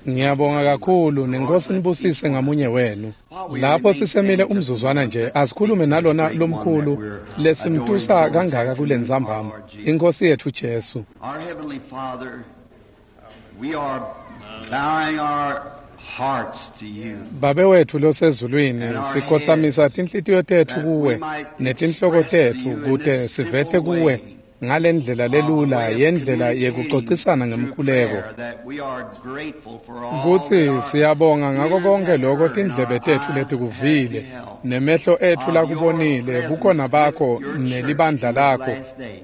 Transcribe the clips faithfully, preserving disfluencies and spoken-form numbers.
Ngiyabonga kakhulu nenkosi nibusise ngamunye wenu. Lapho sisemile umzuzwana nje asikhulume nalona lomkhulu lesimtusa kangaka kulentsambama, inkosi yethu Jesu. Our Heavenly Father, we are bowing our hearts to you. Babe wethu losezulwini, sikhothamisa tinhlitiyo tetfu kuwe netinhloko tetfu kute sivete kuwe ngalendlela lelula yendlela yekucocisana ngemkhuleko. Kutsi siyabonga ngako konke lokho tindlebe tetfu letikuvile nemehlo etfu lakubonile bukhona bakho nelibandla lakho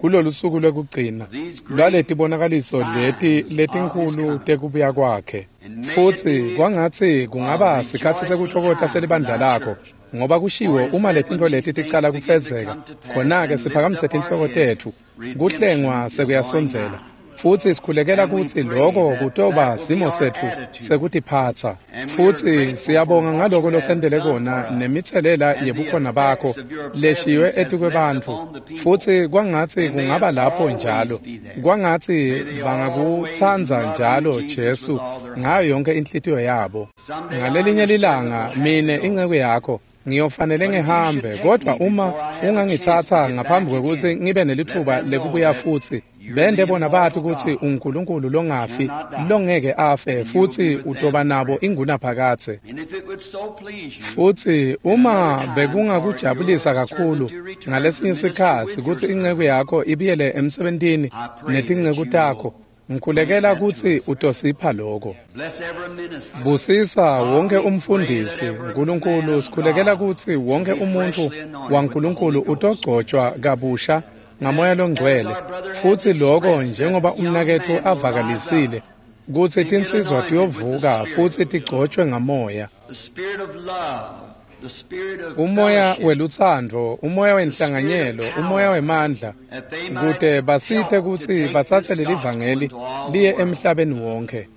kulolu suku lwekugcina lwaletibonakaliso leti letinkhulu tekubuya kwakhe. Futsi kwangatsi kungaba sikhatsi sekutfokota selibandla lakho, ngoba kushiwo uma letintfo leti ticala kufezeka, khona-ke siphakamise tinhloko tetfu, kuhlengwa sekuyasondzela. Futsi sikhulekela kutsi loko kutoba simo setfu sekutiphatsa. Futsi siyabonga ngaloko losentele kona nemitselela yebukhona bakho leshiywe etikwebantfu. Futsi kwangatsi kungaba lapho njalo, kwangatsi bangakutsandza njalo Jesu ngayo yonke inhlitiyo yabo. Ngalelinye lilanga mine inceku yakho ngiyofanele ngihambe, kodwa uma ungangitsatsa ngaphambi kwekutsi ngibe nelitfuba lekubuya futsi, bende bona bathi kutsi uNkulunkulu longafi longeke afe futsi utoba nabo ingunaphakadze. Futsi uma bekungakujabulisa kakhulu ngalesinye sikhatsi kutsi inceku yakho ibuyele emsebentini netinceku takho, ngikhulekela kutsi utosipha lokho. Busisa wonke umfundisi, Nkulunkulu, sikhulekela kutsi wonke umuntfu waNkulunkulu utogcotshwa kabusha ngamoya longcwele. Futsi lokho njengoba umnaketfu avakalisile kutsi tinsizwa tiyovuka futsi tigcotshwe ngamoya. Umoya welutsandvo, umoya wenhlanganyelo, umoya wemandla, kute basite kutsi batsatse lelivangeli liye emhlabeni wonke.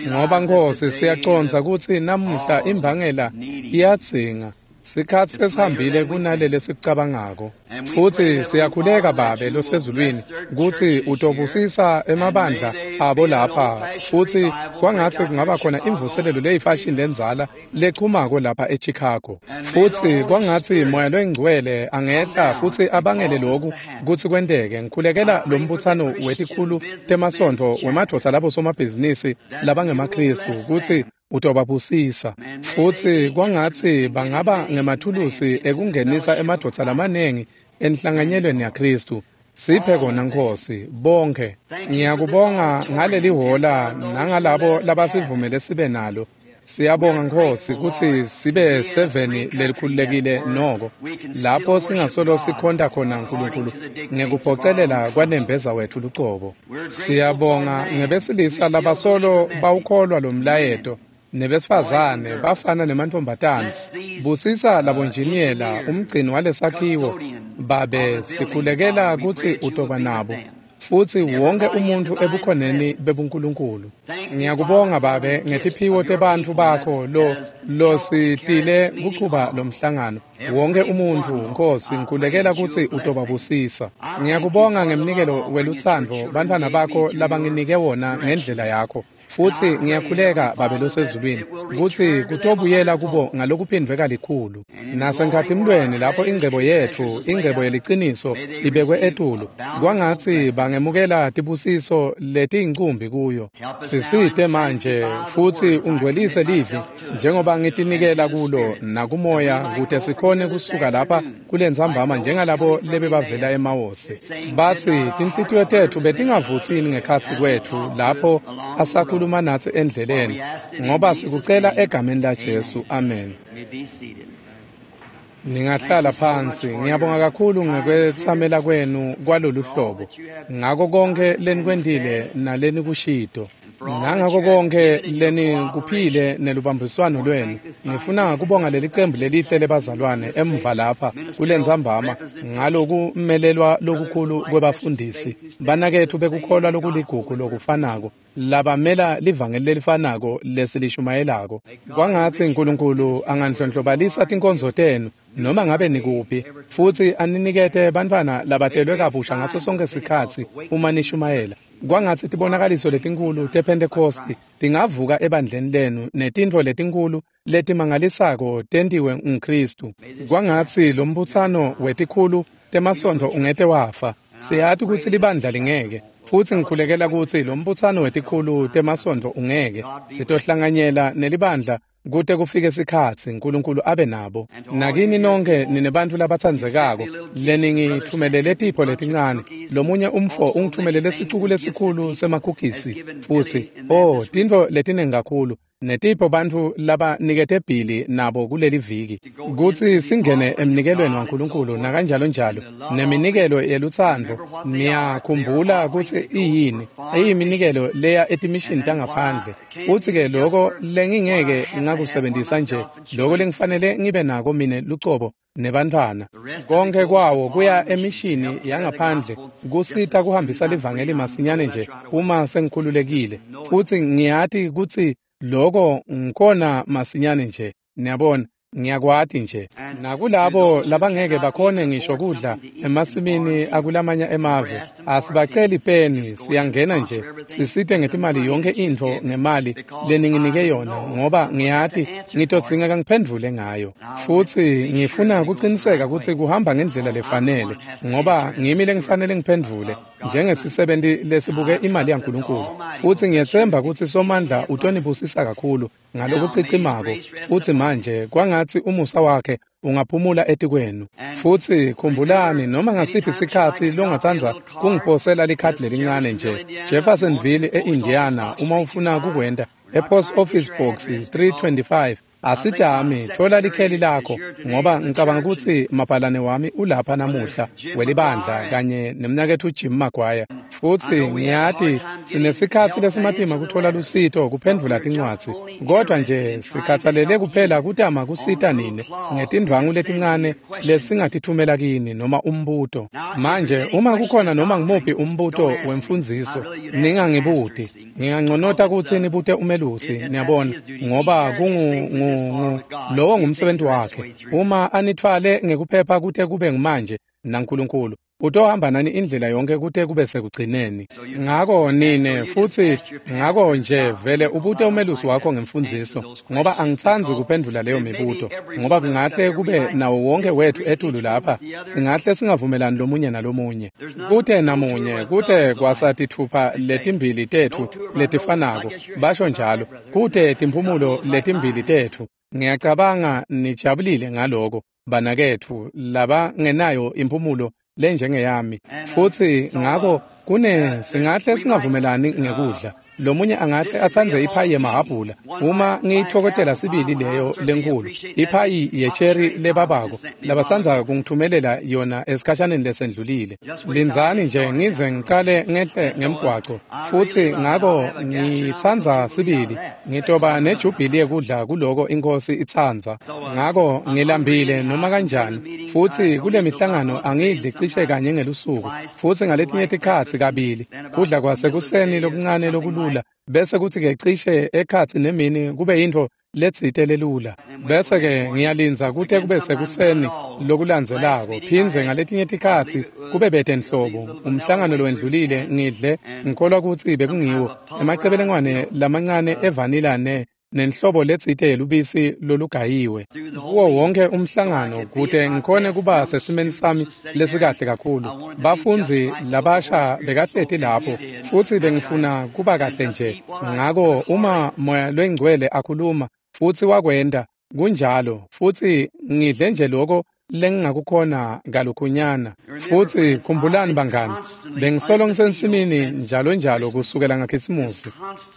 Ngoba Nkosi siyacondza kutsi namuhla imbangela iyadzinga, sikhatsi sesihambile kunalele lesikucabangako. Futsi siyakhuleka Babe losezulwini kutsi utobusisa emabandla abo lapha, futsi kwangatsi kungaba khona imvuselelo leyifashini lendzala lechumako lapha eChicago. Futsi kwangatsi Moya loyiNgcwele angehla futsi abangele loku kutsi kwenteke. Ngikhulekela lo mbutsano wetikhulu temasontfo wemadvodza labo somabhizinisi labangemaKhristu kutsi utobabusisa. Futsi kwangatsi bangaba ngemathulusi ekungenisa emadvodza lamanengi enhlanganyelweni yaKhristu. Siphe kona Nkosi bonke. Ngiyakubonga ngaleli hola nangalabo labasivumele sibe nalo. Siyabonga Nkosi kutsi sibe seveni lelikhululekile noko lapho singasolo sikhonta khona Nkulunkulu ngekuphocelela kwanembeza wethu lucobo. Siyabonga ngebesilisa labasolo bawukholwa lo mlayeto nebesifazane bafana nemantfombatana. Busisa labonjiniyela umgcini walesakhiwo Babe, sikhulekela kutsi utoba nabo futsi wonke umuntfu ebukhoneni bebuNkulunkulu. Ngiyakubonga Babe ngetiphiwo tebantfu bakho lo lositile kuchuba lomhlangano. Wonke umuntfu Nkosi ngikhulekela kutsi utobabusisa. Ngiyakubonga ngemnikelo welutsandvo bantfwana bakho labanginike wona ngendlela yakho. Futsi ngiyakhuleka Babe losezulwini kutsi kutobuyela kubo ngalokuphindvwe kalikhulu. Nasenkhatimlweni lapho ingcebo yetfu, ingcebo yeliciniso ibekwe etulu, kwangatsi bangemukela tibusiso letiyincumbi kuyo. Sisite manje futsi ungcwelise livi njengoba ngitinikela kulo nakumoya kute sikhone kusuka lapha kulentsambama njengalabo lebebavela eMawosi. Batsi tinhlitiyo tetfu betingavutsini ngekhatsi kwetfu lapho asakhuluma natsi endleleni, ngoba sikucela egameni la Jesu, amen. Ningahlala phansi. Ngiyabonga kakhulu ngekwetsamela kwenu kwalolu hlobo, ngako konke lenikwentile nalenikushito, nangako konke lenikuphile nelubambiswano lwenu. Ngifuna kubonga leli cembu lelihle lebazalwane emva lapha kulentsambama ngalokumelelwa lokukhulu kwebafundisi banaketfu bekukholwa lokuligugu lokufanako labamela livangeli lelifanako lesilishumayelako. Kwangatsi Nkulunkulu anganhlonhlobalisa tinkonzo tenu noma ngabe nikuphi, futsi aninikete bantfwana labatelwe kabusha ngaso sonke sikhatsi uma nishumayela. Kwangatsi tibonakaliso letinkulu tePhentekhosti tingavuka ebandleni lenu netintfo letinkulu letimangalisako tentiwe nguKhristu. Kwangatsi lombutsano wetikhulu temasontfo ungete wafa. Siyati kutsi libandla lingeke, futsi ngikhulekela kutsi lombutsano wetikhulu temasontfo ungeke. Sitohlanganyela nelibandla kute kufike sikhatsi uNkulunkulu abe nabo. Nakini nonke ninebantfu labatsandzekako leningitfumelele tipho letincane. Lomunye umfo ungitfumelele sicuku lesikhulu semakhukhisi futsi oh tintfo letinengi kakhulu netipho bantfu labanikete Billy nabo kuleli viki kutsi singene emnikelweni waNkulunkulu nakanjalo njalo neminikelo yelutsandvo. Niyakhumbula kutsi iyini iyiminikelo leya etimishini tangaphandle, futsi-ke loko lengingeke ngakusebentisa nje loko lengifanele ngibe nako mine lucobo nebantfwana. Konke kwawo kuya emishini yangaphandle kusita kuhambisa livangeli masinyane nje uma sengikhululekile, futsi ngiyati kutsi loko ngikhona masinyane nje. Niyabona, ngiyakwati nje. Nakulabo labangeke bakhone ngisho kudla emasimini akulamanye emave, asibaceli peni, siyangena nje sisite ngetimali yonke intfo ngemali leninginike yona, ngoba ngiyati ngitodzingeka ngiphendvule ngayo. Futsi ngifuna kuqiniseka kutsi kuhamba ngendlela lefanele, ngoba ngimi lengifanele ngiphendvule njengesisebenti lesibuke imali yaNkulunkulu. Futsi ngiyetsemba kutsi Somandla utonibusisa kakhulu ngalokucicimako, futsi manje kwangatsi umusa wakhe ungaphumula etikwenu. Futsi khumbulani, noma ngasiphi sikhatsi longatsandza kungiposela likhadi lelincane nje, Jeffersonville e-Indiana, uma ufuna kukwenta, e-Post Office Box three twenty-five. Asidami, thola likheli lakho, ngoba ngicabanga kutsi mabhalane wami ulapha namuhla welibandla kanye nemnaketfu Jim Maguire. Futsi ngiyati sinesikhatsi lesimatima kuthola lusito kuphendvula tincwadzi, kodwa nje sikhatsalele kuphela kutama kusita nine ngetindvwangu letincane lesingatithumela kini noma umbuto. Manje uma kukhona noma ngumuphi umbuto wemfundziso, ningangibuti. Nginganconota kutsi nibute umelusi, niyabona, ngoba kungu lowo ngumsebenzi wakhe. Uma anithwale ngekuphepha kute kube ngumanje naNkulunkulu utohamba nani indlela yonke kute kube sekugcineni. Ngako nine futsi ngako nje vele ubute umelusi wakho ngemfundziso, ngoba angitsandzi kuphendvula leyo mibuto, ngoba kungahle kube nawo wonke wethu etulu lapha singahle singavumelani lomunye nalomunye. Kute namunye, kute kwasatithupha letimbili tetfu letifanako, basho njalo, kute timphumulo letimbili tetfu. Ngiyacabanga nijabulile ngaloko banaketfu labangenayo imphumulo lenjengeyami. Futsi ngako kune singahle singavumelani ngekudla. Lomunye angahle atsandze iphayi yemahhabhula, uma ngiyithokotela sibili leyo lenkulu iphayi yecheri lebabako labasandza kungithumelela yona esikhashaneni lesendlulile. Lindzani nje ngize ngicale ngehle ngemgwaco. Futsi ngako ngitsandza sibili ngitoba nejubhili yekudla kuloko inkosi itsandza. Ngako ngilambile noma kanjani, futsi kule mihlangano angidli cishe kanye ngelusuku, futsi ngaletinye tikhatsi kabili kudla kwasekuseni lokuncane lokulula, bese kuthi-ke cishe ekhatsi nemini kube yintfo letsite lelula, bese-ke ngiyalindza kute kube sekuseni lokulandzelako. Phindze ngaletinye tikhatsi kube bete nhlobo. Umhlangano lowendlulile ngidle ngikholwa kutsi bekungiwo emacebelengwane lamancane evanila ne nenhlobo letsite yelubisi lolugayiwe kuwo wonke umhlangano, kute ngikhone kuba sesimeni sami lesikahle kakhulu. Bafundzi labasha bekahleti lapho, futsi bengifuna kuba kahle nje. Ngako uma Moya Longcwele akhuluma, futsi wakwenta kunjalo, futsi ngidle nje loko lengingakukhona kalukhunyana. Futsi khumbulani bangani, bengisolo ngisensimini njalo njalo kusukela ngakhisimusi,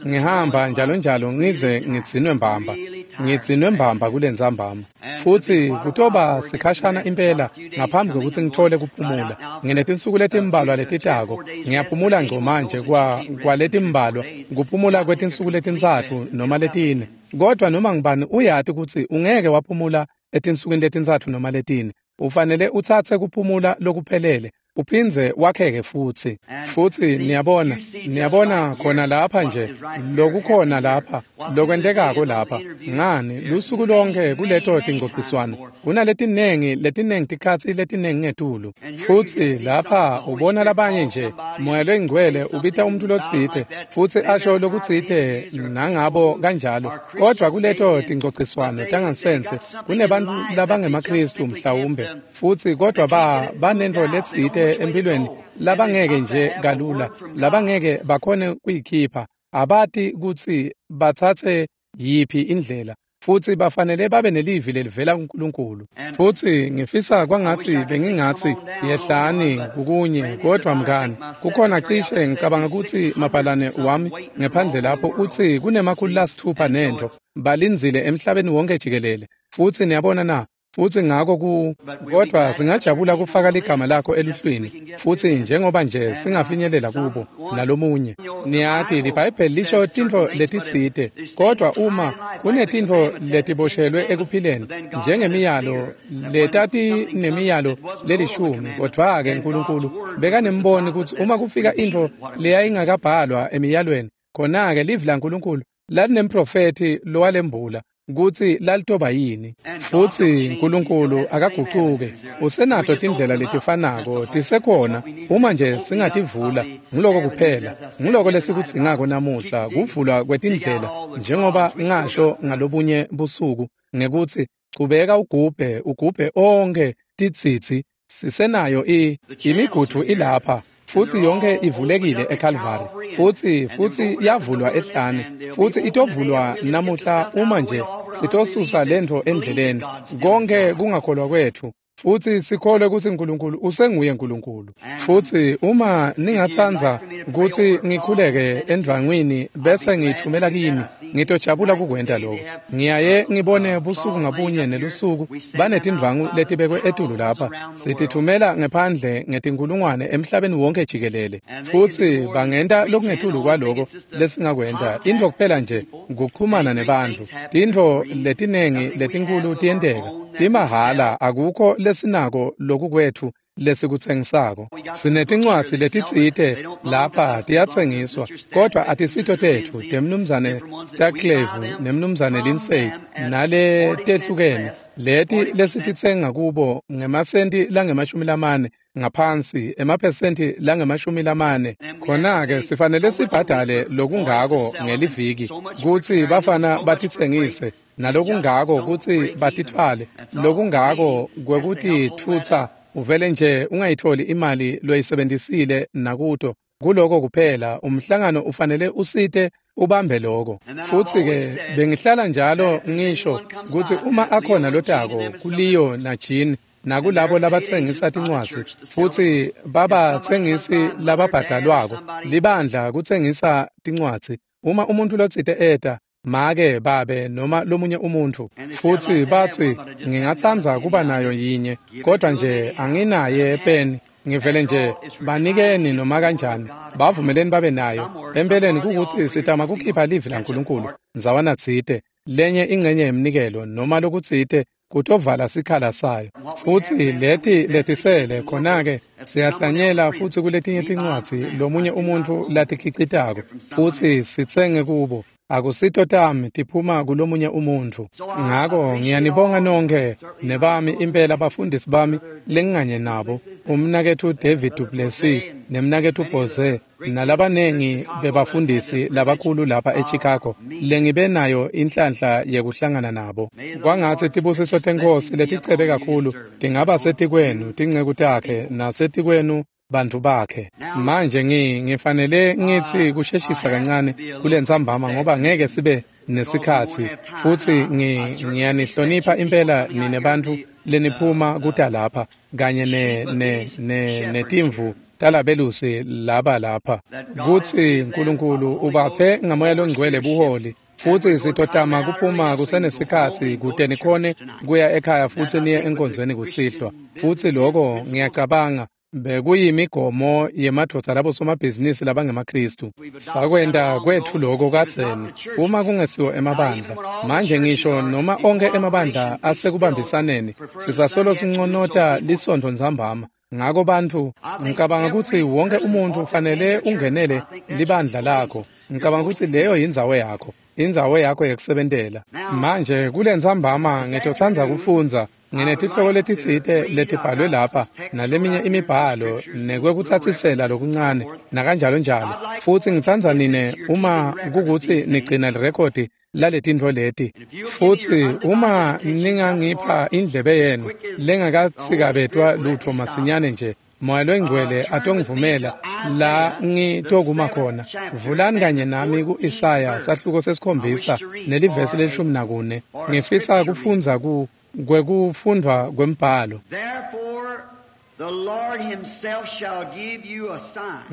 ngihamba njalo njalo ngize ngidzinwe mbamba, ngidzinwe mbamba kulentsambama. Futsi kutoba sikhashana impela ngaphambi kwekutsi ngithole kuphumula. Nginetinsuku letimbalwa letitako, ngiyaphumula ngco manje kwa kwaletimbalwa, kuphumula kwetinsuku letintsatfu noma letine. Kodwa noma ngibani uyati kutsi ungeke waphumula etinsukwini letintsatfu noma letine. Ufanele utsatse kuphumula lokuphelele, uphindze wakheke futsi. Futsi niyabona, niyabona khona lapha nje, lokukhona lapha, lokwentekako lapha. Ngani, lusuku lonke kuleto tingcociswano, kunaletinengi, letinengi tikhatsi letinengi ngetulu. Futsi lapha ubona labanye nje, Moya loyiNgcwele ubita umuntu lotsite, futsi asho lokutsite nangabo kanjalo. Kodvwa kuleto tingcociswano tangansense, kunebantfu labangemaKhristu mhlawumbe, futsi kodvwa ba banentfo letsite empilweni labangeke nje kalula, labangeke bakhone kuyikhipha, abati kutsi batsatse yiphi indlela, futsi bafanele babe nelivi lelivela kuNkulunkulu. Futsi ngifisa kwangatsi bengingatsi yehlani kukunye, kodvwa mngani, kukhona cishe ngicabanga kutsi mabhalane wami ngephandle lapho utsi kunemakhulu lasitfupha nentfo balindzile emhlabeni wonke jikelele. Futsi niyabona na? Futsi ngako ku kodvwa singajabula kufaka ligama lakho eluhlwini, futsi njengoba nje singafinyelela kubo nalomunye. Niyati liBhayibheli lisho tintfo letitsite, kodvwa uma kunetintfo letiboshelwe ekuphileni njengemiyalo letati nemiyalo lelishumi, kodvwa-ke Nkulunkulu bekanemboni kutsi uma kufika intfo leyayingakabhalwa emiyalweni, khona-ke livi laNkulunkulu lalinemprofethi lowalembula kutsi lalitoba yini. Futsi Nkulunkulu akagucuke, usenato tindlela letifanako tisekhona uma nje singativula. Nguloko kuphela, nguloko lesikudzingako namuhla, kuvulwa kwetindlela, njengoba ngasho ngalobunye busuku ngekutsi chubeka ugubhe ugubhe onkhe titsitsi. Sisenayo i imigudu ilapha, futsi yonke ivulekile eCalvary, futsi futsi yavulwa ehlane, futsi itovulwa namuhla uma nje sitosusa lentfo endleleni, konke kungakholwa kwetfu, futsi sikholwe kutsi Nkulunkulu usenguye Nkulunkulu. Futsi uma ningatsandza kutsi ngikhuleke endvangwini bese ngiyithumela kini, ngitojabula kukwenta lokho. Ngiyaye ngibone busuku ngabunye nelusuku banetindvangu letibekwe etulu lapha, sitithumela ngephandle ngetinkulungwane emhlabeni wonke jikelele. Futsi bangenta lokungetulu kwaloko lesingakwenta. Intfo kuphela nje kuchumana nebantfu. Tintfo letinengi letinkulu tiyenteka timahhala, akukho lesinako lokukwetfu lesikutsengisako. Sinetincwadzi letitsite lapha tiyatsengiswa, kodvwa atisito tetfu, temnumzane Starclave nemnumzane Lindsay nale tehlukene, leti lesititsenga kubo ngemasenti langemashumi lamane ngaphansi, emaphesenti langemashumi lamane. Khona-ke sifanele sibhadale lokungako ngeliviki kutsi bafana batitsengise, nalokungako kutsi batitfwale, lokungako kwekutitfutsa. Uvele nje ungayitholi imali loyisebentisile nakuto. Kuloko kuphela umhlangano ufanele usite ubambe lokho. Futsi-ke bengihlala njalo ngisho kutsi uma akhona lotako kuLeo naJean nakulabo labatsengisa tincwadzi, futsi babatsengisi lababhadalwako libandla kutsengisa tincwadzi, uma umuntu lotsite eta, make, babe noma lomunye umuntfu, futsi batsi ngingatsandza kuba nayo yinye, kodwa nje anginaye peni, ngivele nje banikeni noma kanjani, bavumeleni babe nayo. Empeleni kukutsi sitama kukhipha livi laNkulunkulu ndzawana tsite, lenye ingcenye yemnikelo noma lokutsite kutovala sikhala sayo. Futsi leti letisele khona-ke siyahlanyela futsi kuletinye tincwadzi lomunye umuntfu latikhicitako, futsi sitsenge kubo. Akusito tami, tiphuma kulomunye umuntfu. Ngako ngiyanibonga nonke nebami impela bafundisi bami lenginganye nabo, umnaketfu David Duplessis nemnaketfu Bose nalabanengi bebafundisi labakhulu lapha eChicago lengibe nayo inhlanhla yekuhlangana nabo. Kwangatsi tibusiso teNkhosi leticebe kakhulu tingaba setikwenu tinceku takhe nasetikwenu bantfu bakhe. Manje ngi ngifanele ngitsi kusheshisa kancane kulentsambama ngoba ngeke sibe nesikhatsi, futsi ngi ngiyanihlonipha impela nine bantfu leniphuma kuta lapha kanye ne ne ne netimvu talabelusi laba lapha, kutsi Nkulunkulu ubaphe ngaMoya loNgcwele buholi. Futsi sitotama kuphuma kusenesikhatsi kute nikhone kuya ekhaya futsi niye enkonzweni kusihlwa. Futsi loko ngiyacabanga bekuyimigomo yemadvodza labosomabhizinisi labangemaKhristu. Sakwenta kwetfu loko kadzeni, uma kungesiwo emabandla. Manje ngisho noma onkhe emabandla asekubambisaneni, sisasolo sinconota lisontfo ntsambama. Ngako bantfu, ngicabanga kutsi wonke umuntfu ufanele ungenele libandla lakho. Ngicabanga kutsi leyo yindzawo yakho, indzawo yakho yekusebentela. Manje kulentsambama ngitotsandza kufundza nginetihloko letitsite letibhalwe lapha naleminye imibhalo nekwekutsatsisela lokuncane nakanjalo njalo. Futsi ngitsandza nine uma kukutsi nigcina lirekhodi laletintfo leti. Futsi uma ningangipha indlebe yenu lengakatsikabetwa lutfo masinyane nje, Moya loyingcwele atongivumela la ngitokuma khona. Vulani kanye nami ku-Isaya sahluko sesikhombisa nelivesi lelishumi nakune. Ngifisa kufundza ku kwekufundvwa kwembhalo.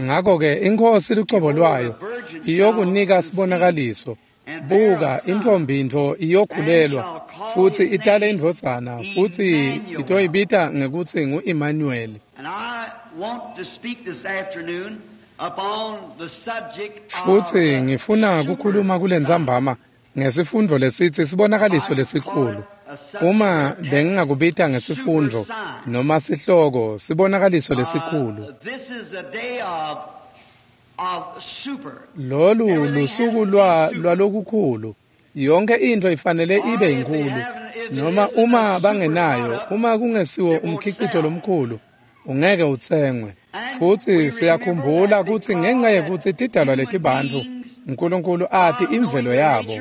Ngako-ke iNkhosi lucobo lwayo iyokunika sibonakaliso. Buka, intfombi ntfo iyokhulelwa futsi itale indvodzana, futsi itoyibita ngekutsi ngu-Emmanuel. Futsi ngifuna kukhuluma kulentsambama ngesifundvo lesitsi sibonakaliso lesikhulu. Uma bengingakubita ngesifundvo noma sihloko, sibonakaliso lesikhulu. Lolu lusuku lwa lwalokukhulu. Yonke intfo ifanele ibe inkulu, noma uma bangenayo, uma kungesiwo umkhicito lomkhulu, ungeke utsengwe. Futsi siyakhumbula kutsi ngenxa yekutsi tidalwa letibantfu, Nkulunkulu ati imvelo yabo.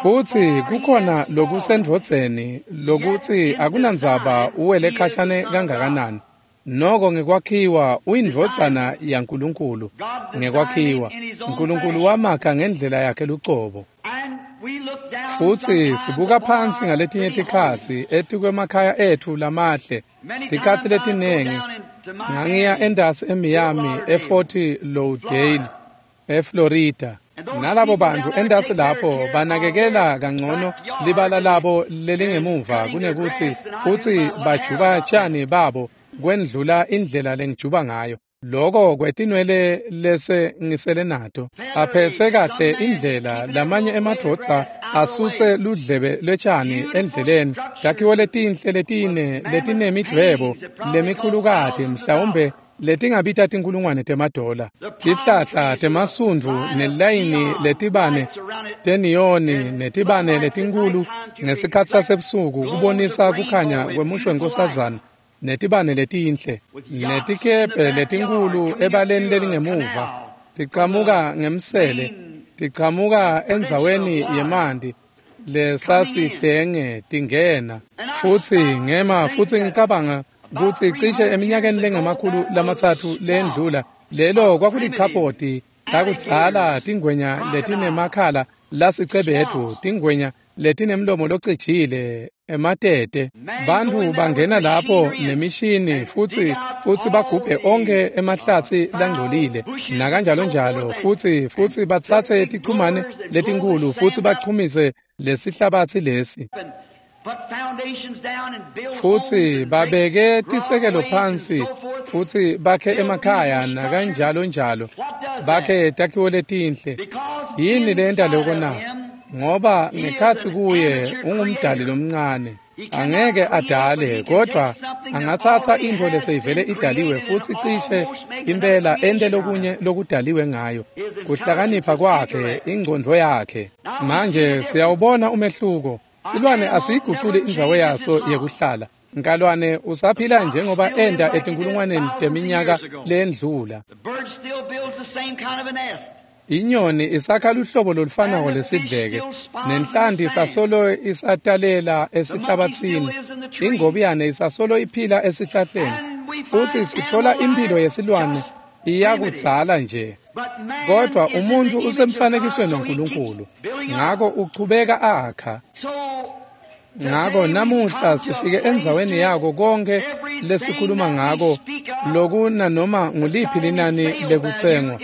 Futsi kukhona lokusendvodzeni lokutsi akunandzaba uwele khashane kangakanani. Noko ngekwakhiwa uyindvodzana yaNkulunkulu. Ngekwakhiwa Nkulunkulu wamakha ngendlela yakhe lucobo. Futsi sibuka phansi ngaletinye tikhatsi etikwemakhaya etfu lamahle. Tikhatsi letinengi ngangiya endasi eMiami, eFort Lauderdale, eFlorida. Nalabo bantfu endasi lapho banakekela kangcono libala labo lelingemuva kunekutsi futsi bajuba tjani babo kwendlula indlela lengijuba ngayo. Loko kwetinwele lese ngisele nato. Aphetse kahle indlela lamanye emadvodza asuse ludlebe lwetjani endleleni. Takhiwo letinhle letine letinemidvwebo lemikhulukati mhlawumbe letingabita tinkulungwane temadola. Tihlahla temasundvu nelayini letibane teniyoni netibane letinkhulu ngesikhatsi sasebusuku kubonisa kukhanya kwemusho wenkosazana netibane letinhle netikebhe letinkhulu ebaleni lelingemuva tichamuka ngemsele tichamuka endzaweni yemanti lesasihlenge tingena. Futsi ngema futsi ngicabanga kutsi cishe eminyakeni lengamakhulu lamatsatfu lendlula lelo kwakulichapoti lakudzala, tingwenya letinemakhala lasicebethu, tingwenya letinemlomo locijile, ematete. Bantfu bangena lapho nemishini futsi futsi bagubhe onkhe emahlatsi langcolile nakanjalo njalo, futsi futsi batsatse tichumane letinkhulu futsi bachumise lesihlabatsi lesi. Futsi babeke tisekelo phansi futsi bakhe emakhaya nakanjalo njalo, bakhe takhiwo letinhle. Yini lenta loko na? Ngoba ngekhatsi kuye ungumdali lomncane. Angeke adale, kodvwa angatsatsa intfo leseyivele idaliwe futsi cishe impela ente lokunye lokudaliwe ngayo. Kuhlakanipha kwakhe, ingcondvo yakhe. Manje siyawubona umehluko. Silwane asiyiguculi indzawo yaso yekuhlala. Nkalwane usaphila njengoba enda etinkulungwaneni teminyaka lendlula. Inyoni isakha luhlobo lolufanako lesidleke, nenhlanti isasolo isatalela esihlabatsini, ingobiyane isasolo iphila esihlahleni, futsi sithola imphilo yesilwane iyakudzala nje. Kodwa umuntfu usemfanekisweni waNkulunkulu, ngako uchubeka akha. Ngako namuhla sifike endzaweni yako konke lesikhuluma ngako lokuna noma nguliphi linani lekutsengwa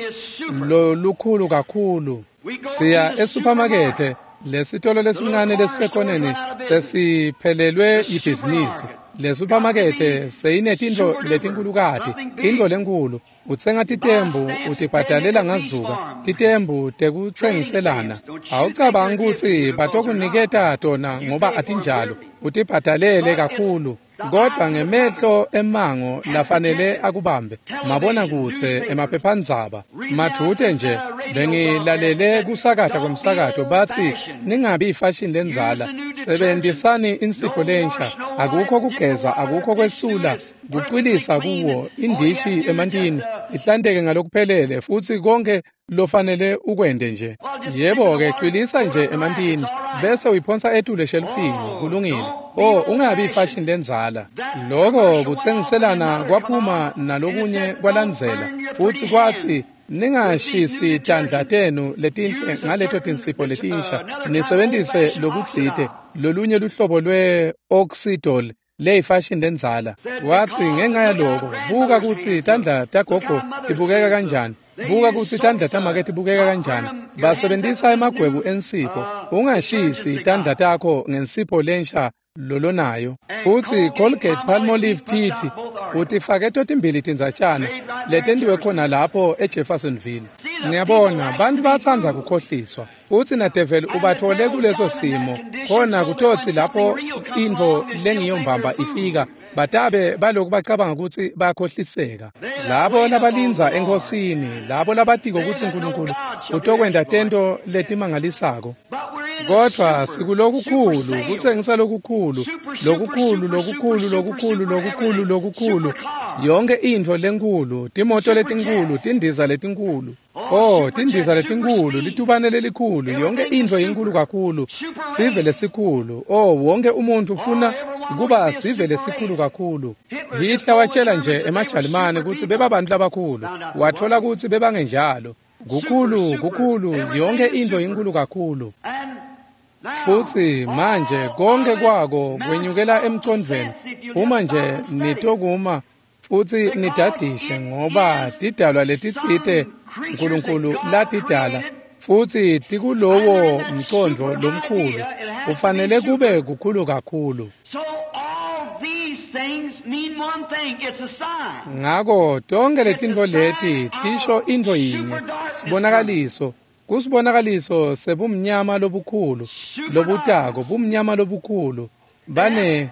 lolukhulu kakhulu. Siya esuphamakethe, lesitolo lesincane lesisekhoneni sesiphelelwe ibhizinisi. Lesupamakethe seyinetintfo letinkhulukati, intfo lenkhulu. Utsenga titembu utibhadalela ngazuka, titembu tekutsengiselana. Awucabangi kutsi batokuniketa tona ngoba atinjalo, utibhadalele kakhulu. Kodwa ngemehlo emango lafanele akubambe, mabona kutse emaphephandzaba. Madvute nje bengilalele kusakata kwemsakato batsi ningabi ifashion lendzala, sebenzisani insipho lensha, akukho kugeza, akukho kwesula, kucwilisa kuwo indishi emantini, ihlanteke ngalokuphelele futsi konke lofanele ukwente nje. Yebo-ke, cwilisa nje emantini bese uyiphonsa etulu eshelufini, kulungile. Oh, ungabi ifashion lendzala. Loko kutsengiselana kwaphuma nalokunye kwalandzela futsi kwatsi ningashisi tandla tenu letinhle ngaleto tinsipho letinsha, nisebentise lokutsite lolunye luhlobo lwe-oxidol leyifashion lendzala. Watsi ngenxa yaloko, buka kutsi tandla tagogo tibukeka kanjani, buka kutsi tandla tamake tibukeka kanjani. Basebentisa emagwebu ensipho. Ungashisi tandla takho ngensipho lensha lolonayo. Futsi Colgate Palmolive Pit utifake totimbili tindzatshana letentiwe khona lapho eJeffersonville. Ngiyabona bantfu batsandza kukhohliswa. Futsi nadeveli ubathole kuleso simo khona kutotsi lapho intfo lengiyombamba ifika batabe baloku bacabanga kutsi bakhohliseka. Labo labalindza enkosini, labo labatiko kutsi uNkulunkulu utokwenta tento letimangalisako. Kodwa sikulokukhulu, kutsengisa lokukhulu, lokukhulu, lokukhulu, lokukhulu, lokukhulu, lokukhulu, yonke intfo lenkhulu, timoto letinkhulu, tindiza letinkhulu. Oh, tindiza letinkhulu, litubane lelikhulu, yonke intfo inkulu kakhulu, sive lesikhulu. Oh, wonke umuntu ufuna kuba sive lesikhulu kakhulu. Hitler watshela nje emaJalimane kutsi bebabantu labakhulu, watfola kutsi bebangenjalo. Kukhulu, kukhulu, yonke intfo inkulu kakhulu. Futsi manje konke kwako kwenyukela emcondvweni uma nje nitokuma futsi nidadishe, ngoba tidalwa letitsite uNkulunkulu latidala futsi tikulowo mcondvo lomkhulu, ufanele kube kukhulu kakhulu. Ngako tonke letintfo leti tisho intfo yinye, sibonakaliso. Kusibonakaliso sebumnyama lobukhulu lobutako, bumnyama lobukhulu. Bane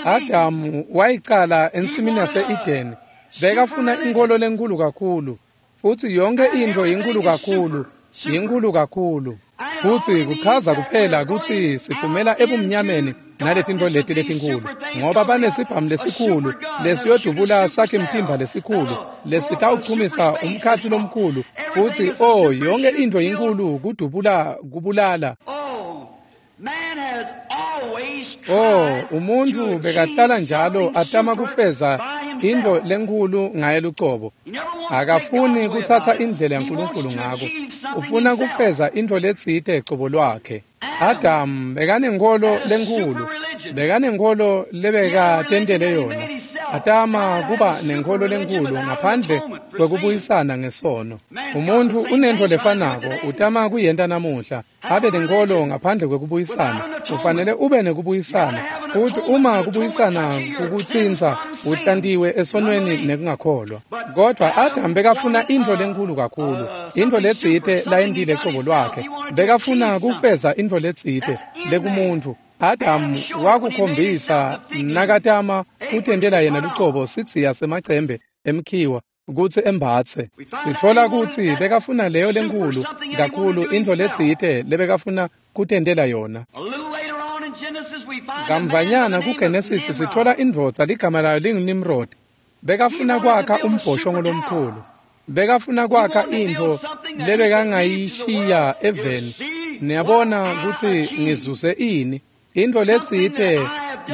Adamu wayicala ensimini yase-Edeni, bekafuna inkholo lenkhulu kakhulu, futsi yonke intfo inkulu kakhulu, inkulu kakhulu. Futsi kuchaza kuphela kutsi siphumela ebumnyameni naletintfo leti letinkhulu, ngoba banesibhamu lesikhulu lesiyodubula sakhe mtimba lesikhulu lesitawuchumisa umkhatsi lomkhulu. Futsi oh, yonke intfo inkulu, kudubula, kubulala. Oh, umuntfu bekahlala njalo atama kufeza intfo lenkhulu ngaye lucobo. Akafuni kutsatsa indlela yaNkulunkulu ngako, ufuna kufeza intfo letsite cobo lwakhe. Adam bekanenkholo lenkhulu, bekanenkholo lebekatentele yona. Atama kuba nenkholo lenkhulu ngaphandle kwekubuyisana ngesono. Umuntfu unentfo lefanako, utama kuyenta namuhla, abe nenkholo ngaphandle kwekubuyisana. Ufanele ube nekubuyisana, futsi uma kubuyisana kukutsintsa, uhlantiwe esonweni nekungakholwa. Kodwa Adam bekafuna intfo lenkhulu kakhulu, intfo letsite layentile cobo lwakhe. Bekafuna kufeza intfo letsite lekumuntfu. Adam wakukhombisa nakatama kutentela yena lucobo sidziya semacembe emkhiwa kutsi embatse. Sitfola kutsi bekafuna leyo lenkhulu kakhulu, intfo letsite lebekafuna kutentela yona. Kamvanyana kuGenesis sitfola indvodza ligama layo linguNimrod. Bekafuna kwakha umbhoshongo lomkhulu. Bekafuna kwakha intfo lebekangayishiya eveni. Niyabona kutsi ngizuze ini, intfo letsite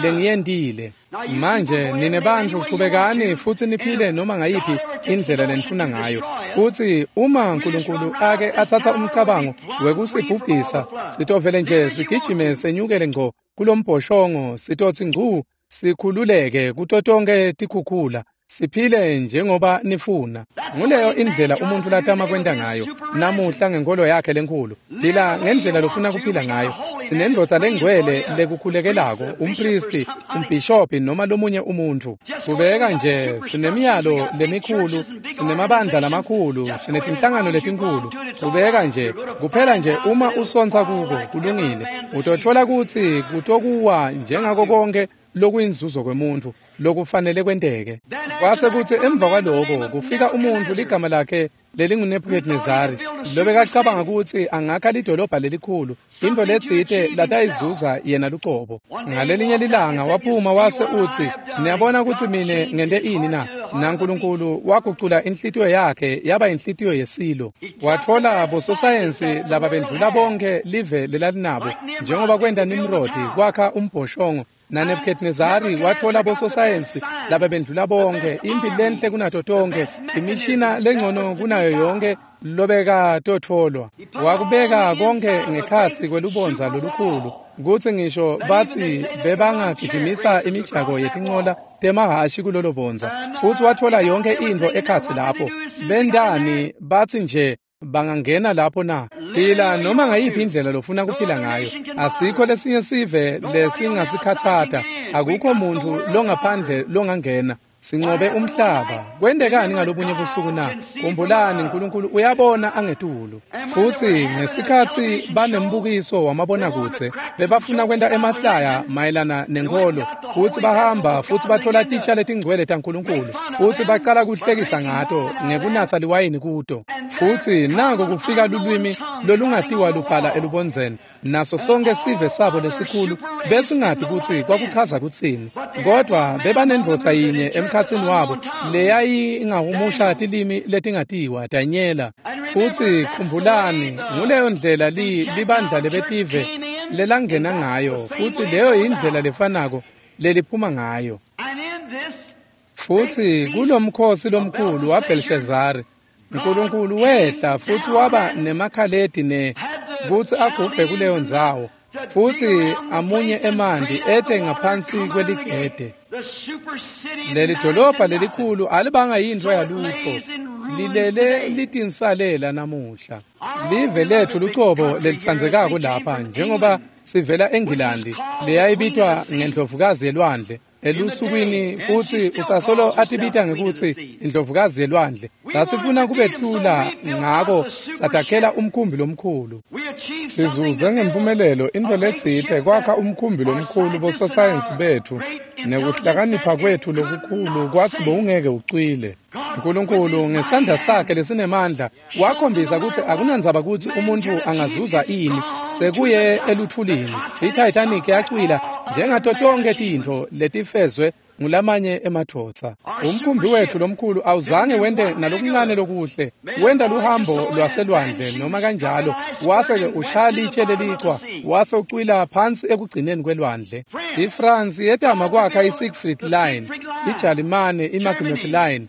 lengiyentile. Manje nine bantfu chubekani futsi niphile noma ngayiphi indlela lenifuna ngayo. Futsi uma uNkulunkulu ake atsatsa umcabango wekusibhubhisa, sitovele nje sigijime senyukele ngco kulombhoshongo, sitotsi ngcu sikhululeke kuto tonkhe tikhukhula. Siphile njengoba nifuna. Nguleyo indlela umuntu latama kwenta ngayo namuhla ngenkolo yakhe lenkhulu. Phila ngendlela lofuna kuphila ngayo. Sinendvodza lengcwele lekukhulekelako, umpristi, umbhishobhi noma lomunye umuntfu. Kubeka nje sinemiyalo lemikhulu, sinemabandla lamakhulu, sinetinhlangano letinkhulu. Kubeka nje kuphela nje uma usontsa kuko kulungile, utotfola kutsi kutokuwa njengako konke lokuyinzuzo kwemuntfu lokufanele kwenteke. Kwase kutsi emva kwaloko kufika umuntfu ligama lakhe lelinguNebukadnezari, lobekacabanga kutsi angakha lidolobha lelikhulu, intfo letsite latayizuza yena lucobo. Ngalelinye lilanga waphuma wase utsi, niyabona kutsi mine ngente ini na? NaNkulunkulu wagucula inhlitiyo yakhe yaba inhlitiyo yesilo. Watfola bososayensi lababendlula bonke live lelalinabo, njengoba kwenta Nimrodi kwakha umbhoshongo. NaNebukadnezari watfola bososayensi lababendlula bonke, impi lenhle kunato tonke, imishina lengcono kunayo yonke lobekatotfolwa. Wakubeka konke ngekhatsi kwelubondza lolukhulu, kutsi ngisho batsi bebangagijimisa imijako yetincola temahhashi kulolo bondza. Futsi watfola yonke intfo ekhatsi lapho. Bendani batsi nje bangangena lapho na? Phila noma ngayiphi indlela lofuna kuphila ngayo. Asikho lesinye sive lesingasikhatsata. Akukho muntfu longaphandle longangena. Sinqobe umhlaba. Kwentekani ngalobunye busuku na? Khumbulani, uNkulunkulu uyabona angetulu. Futsi ngesikhatsi banembukiso wamabonakudze, bebafuna kwenta emahlaya mayelana nenkolo, futsi bahamba futsi batfola titsha letingcwele taNkulunkulu, futsi bacala kuhlekisa ngato ngekunatsa liwayini kuto. Futsi nako kufika lulwimi lolungatiwa lubhala elubondzeni, naso sonke sive sabo lesikhulu besingati kutsi kwakuchaza kutsini. Kodwa bebanendvodza yinye emkhatsini wabo leyayingahumusha tilimi letingatiwa, Danyela. Futsi khumbulani, nguleyo ndlela li libandla lebetive lelangena ngayo, futsi leyo yindlela lefanako leliphuma ngayo. Futsi kulomkhosi lomkhulu waBhelshazari, uNkulunkulu wehla futsi waba nemakhaledi ne kutsi agubhe kuleyo ndzawo, futsi amunye emanti ete ngaphansi kweligede. Leli dolobha lelikhulu alibanga yintfo yalutfo, lilele litinsalela namuhla. Live lethu lucobo lelitsandzekako lapha, njengoba sivela eNgilandi leyayibitwa ngendlovukazi yelwandle elusukwini, futsi usasolo atibita ngekutsi indlovukazi yelwandle. Sasifuna kubehlula, ngako satakhela umkhumbi lomkhulu. Sizuze ngempumelelo intfo letsite kwakha umkhumbi lomkhulu. Bososayensi betfu nekuhlakanipha kwetfu lokukhulu kwatsi bowungeke ucwile. uNkulunkulu ngesandla sakhe lesinemandla wakhombisa kutsi akunandzaba kutsi umuntfu angazuza ini, sekuye elutfulini. I-Titanic yacwila njengato tonke tintfo letifezwe ngulamanye emadvodza. Umkhumbi wetfu lomkhulu awuzange wente nalokuncane lokuhle, wenta luhambo lwaselwandle noma kanjalo, wase-ke ushaya litshe lelichwa, wase ucwila phansi ekugcineni kwelwandle. IFrance yetama kwakha i-Siegfried Line, iJalimane i-Maginot Line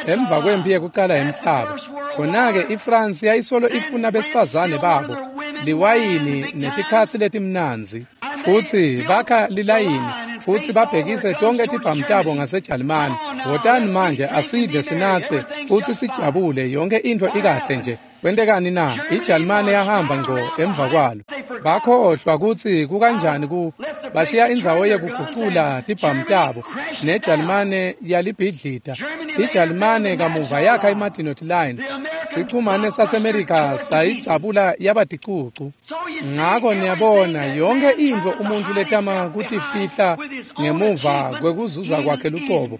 emva kwempi yekucala yemhlaba. Khona-ke iFrance yayisolo ifuna besifazane babo, liwayini netikhatsi letimnandzi. Futsi bakha lilayini, futsi babhekise tonke tibhamu tabo ngaseJalimane. Wotani manje asidle sinatse futsi sijabule, yonke intfo ikahle nje. Kwentekani na? IJalimane yahamba ngco emva kwalo. Bakhohlwa kutsi kukanjani ku bashiya indzawo yekugucula tibhamu tabo, neJalimane yalibhidlita. IJalimane kamuva yakha iMaginot Line. Sichumane saseMerika sayidzabula yaba ticucu. Ngako niyabona, yonke intfo umuntfu letama kutifihla ngemuva kwekuzuza kwakhe lucobo,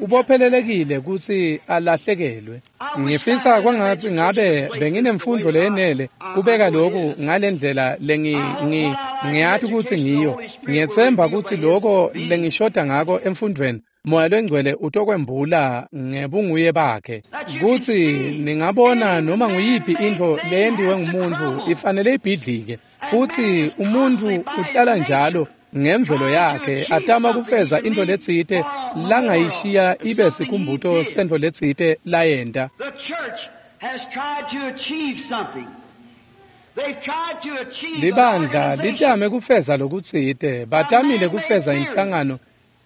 ubophelelekile kutsi alahlekelwe. Ngifisa kwangatsi ngabe benginemfundo leyenele kubeka loku ngalendlela lengi ngi ngiyati kutsi ngiyo. Ngiyetsemba kutsi loko lengishoda ngako emfundweni, Moya Longcwele utokwembula ngebunguye bakhe, kutsi ningabona noma nguyiphi intfo leyentiwe ngumuntfu ifanele ibhidlike. Futsi umuntfu uhlala njalo ngemvelo yakhe atama kufeza intfo letsite langayishiya ibe sikhumbuto sentfo letsite layenta. Libandla litame kufeza lokutsite, batamile kufeza inhlangano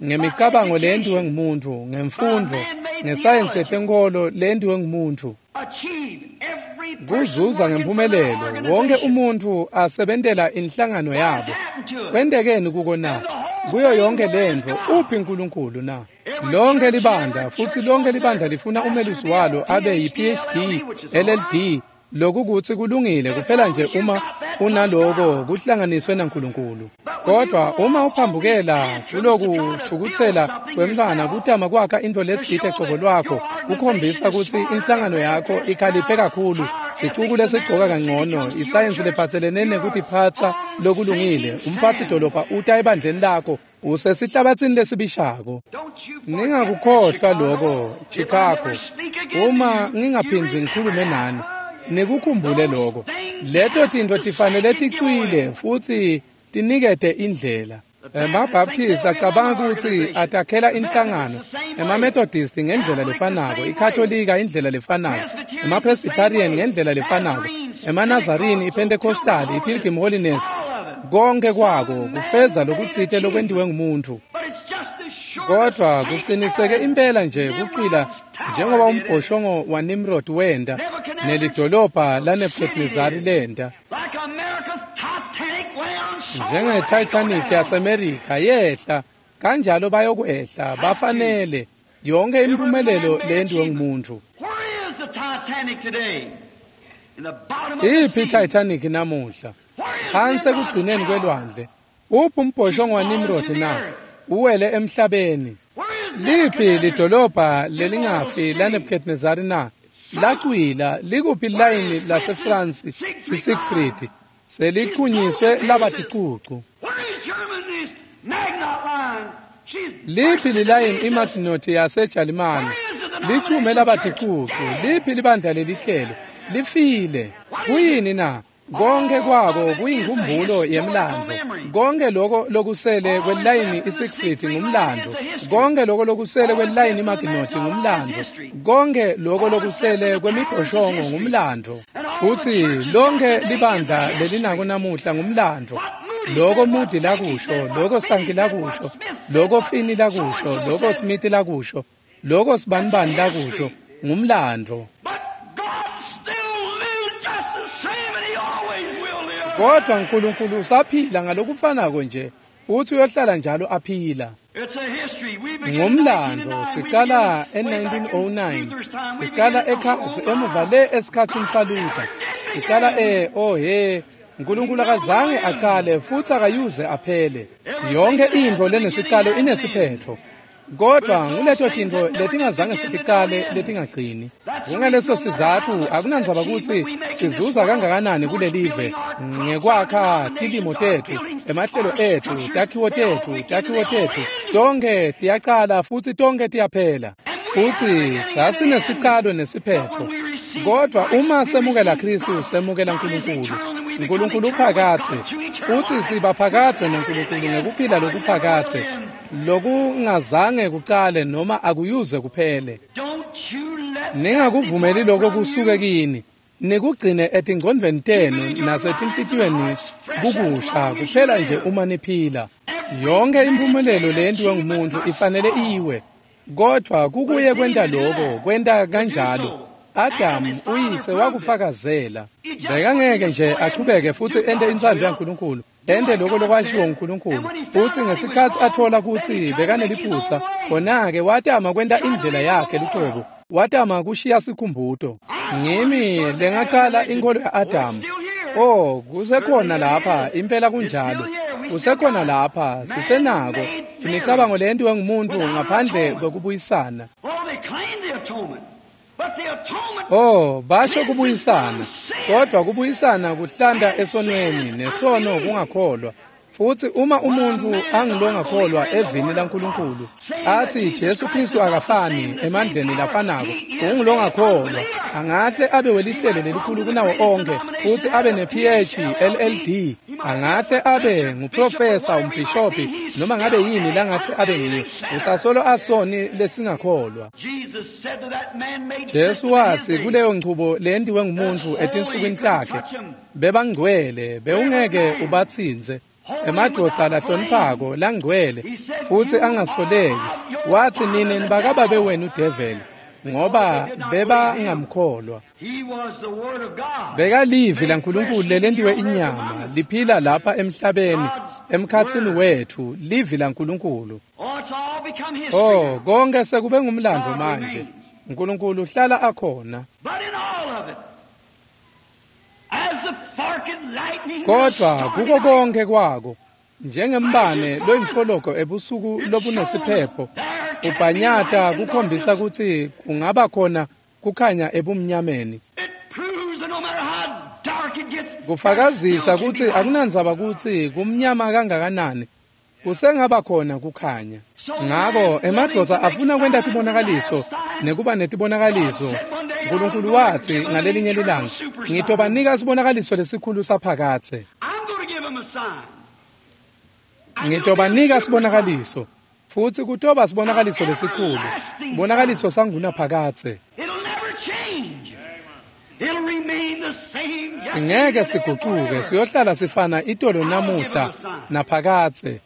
Ngemicabango leyentiwe ngumuntu, ngemfundvo, ngesayensi yetenkholo leyentiwe ngumuntu. Kuzuza ngemphumelelo, wonke umuntfu asebentela inhlangano yabo. Kwentekeni kuko na? Kuyo yonke lentfo, uphi uNkulunkulu na? Lonke libandla, futsi lonke libandla lifuna umelusi walo abe yi-P H D, L L D, lokukutsi kulungile kuphela nje uma unaloko kuhlanganiswe naNkulunkulu. Kodwa uma uphambukela kulokuthukutsela kwemntfwana kutama kwakha intfo letsite cobo lwakho, kukhombisa kutsi inhlangano yakho ikhaliphe kakhulu, sicuku lesigcoka kangcono, isayensi lephatselene nekutiphatsa lokulungile, umphatsi dolobha uta ebandleni lakho, usesihlabatsini lesibishako. Ningakukhohlwa loko, Chicago. Uma ngingaphindzi ngikhulume nani, nikukhumbule loko. Leto tintfo tifanele ticwile futsi tinikete indlela. EmaBaptist acabanga kutsi atakhela inhlangano, emaMethodist ngendlela lefanako, iKatolika indlela lefanako, emaPresbyterian ngendlela lefanako, emaNazarene, iPentecostal, iPilgrim Holiness, konke kwako kufeza lokutsite lokwentiwe ngumuntu. Kodwa kuqiniseke impela nje kucwila njengoba umbhoshongo waNimrod wenda nelidolobha laNebuchadnezzar lenda. Njenge-Titanic yaseMerika yehla, kanjalo bayokwehla, bafanele yonke impumelelo leyentiwe ngumuntu. Iphi i-Titanic namuhla? Phansi ekugcineni kwelwandle. Uphi umbhoshongo waNimrod na? Uwele emhlabeni. Liphi lidolobha lelingafi laNebuchadnezzar na? Lacwila. Likuphi ilayini laseFrance iSiegfried? Seliqhunyiswe laba ticucu. Liphi lilayini iMaginot yaseJalimane? Lichume laba ticucu. Liphi libandla lelihlelo? Lifile. Kuyini na? Konke kwako kuyinkumbulo yemlando. Konke lokho lokusele kwelayini iSiegfried ngumlando. Konke lokho lokusele kwelayini iMaginot ngumlando. Konke lokho lokusele kwemibhoshongo ngumlando. Futhi lonke libandla lelinako namuhla ngumlando. Loko Moody lakusho, loko Sankey lakusho, loko Finney lakusho, loko Smith lakusho, loko Sibanibani lakusho, ngumlando. Kodwa uNkulunkulu usaphila ngalokufanako nje, futhi uyohlala njalo aphila. Ngumlando siqala e-nineteen oh nine, siqala ekhatsi emuva le esikhatsini saLuther, siqala e oh he, uNkulunkulu akazange aqale futhi akayuze aphele. Yonke intfo lenesiqalo inesiphetho. Kodwa nguleto tintfo letingazange setiqale letingagcini. Kungaleso sizatfu akunandzaba kutsi sizuza kangakanani kulelive ngekwakha tilimo tetfu, emahlelo etfu, takhiwo tetfu, takhiwo tetfu, tonkhe tiyaqala futsi tonkhe tiyaphela. Futsi sasinesicalo nesiphetho. Kodwa uma semukela Khristu, semukela uNkulunkulu. uNkulunkulu uphakatse, futsi siba phakatse naNkulunkulu ngekuphila lokuphakatse, lokungazange kucale noma akuyuze kuphele. Ningakuvumeli lokho kusuke kini, nikugcine etingcondvweni tenu nasetinhlitiyweni kukusha kuphela nje uma niphila. Yonke impumelelo leyentiwe ngumuntu ifanele iwe, kodwa kukuye kwenta lokho, kwenta kanjalo. Adam uyise wakufakazela. Bekangeke nje achubeke futhi ente intsandvo yaNkulunkulu, ente lokho lokwashiwo nguNkulunkulu. Futhi ngesikhatsi athola kutsi bekaneliphutsa, khona-ke watama kwenta indlela yakhe lucobo, watama kushiya sikhumbuto. Ngimi lengacala inkholo ya-Adamu. Oh, kusekhona lapha, impela kunjalo. Kusekhona lapha, sisenako imicabango leyentiwe ngumuntu ngaphandle kwekubuyisana. Oh, basho kubuyisana, kodwa kubuyisana kuhlanda esonweni, nesono kungakholwa. Futhi uma umuntu angilongakholwa evini laNkulunkulu, athi Jesu Kristu akafani emandleni lafanako, ungilongakholwa, angahle abe welihlelo lelikhulu kunawo onke, futhi abe ne-P H L L D, angahle abe nguprofesa, umbhishobhi, noma ngabe yini langahle abe ngiyo, usasolo asoni lesingakholwa. Jesu wathi kuleyo nchubo leyentiwe ngumuntu etinsukwini takhe, bebangcwele, bewungeke ubatsintse. Emadvodza lahloniphako langcwele futsi angasoleki. Watsi nine nibakababe wenu develi, ngoba bebangamkholwa. Bekalivi laNkulunkulu lelentiwe inyama liphila lapha emhlabeni emkhatsini wethu, livi laNkulunkulu. Oh, konke sekube ngumlando manje. uNkulunkulu uhlala akhona. Kodwa kuko konke kwako, njengembane loyimfologo ebusuku lobunesiphepho, ubhanyata kukhombisa kutsi kungaba khona kukhanya ebumnyameni. Kufakazisa kutsi akunandzaba kutsi kumnyama kangakanani, kusengaba khona kukhanya. Ngako emadvodza afuna kwenta tibonakaliso nekuba netibonakaliso. uNkulunkulu watsi ngalelinye lilanga, ngitobanika sibonakaliso lesikhulu saphakadze. Ngitobanika sibonakaliso, futsi kutoba sibonakaliso lesikhulu, sibonakaliso sangunaphakadze. Singeke sigucuke, siyohlala sifana itolo namuhla naphakadze.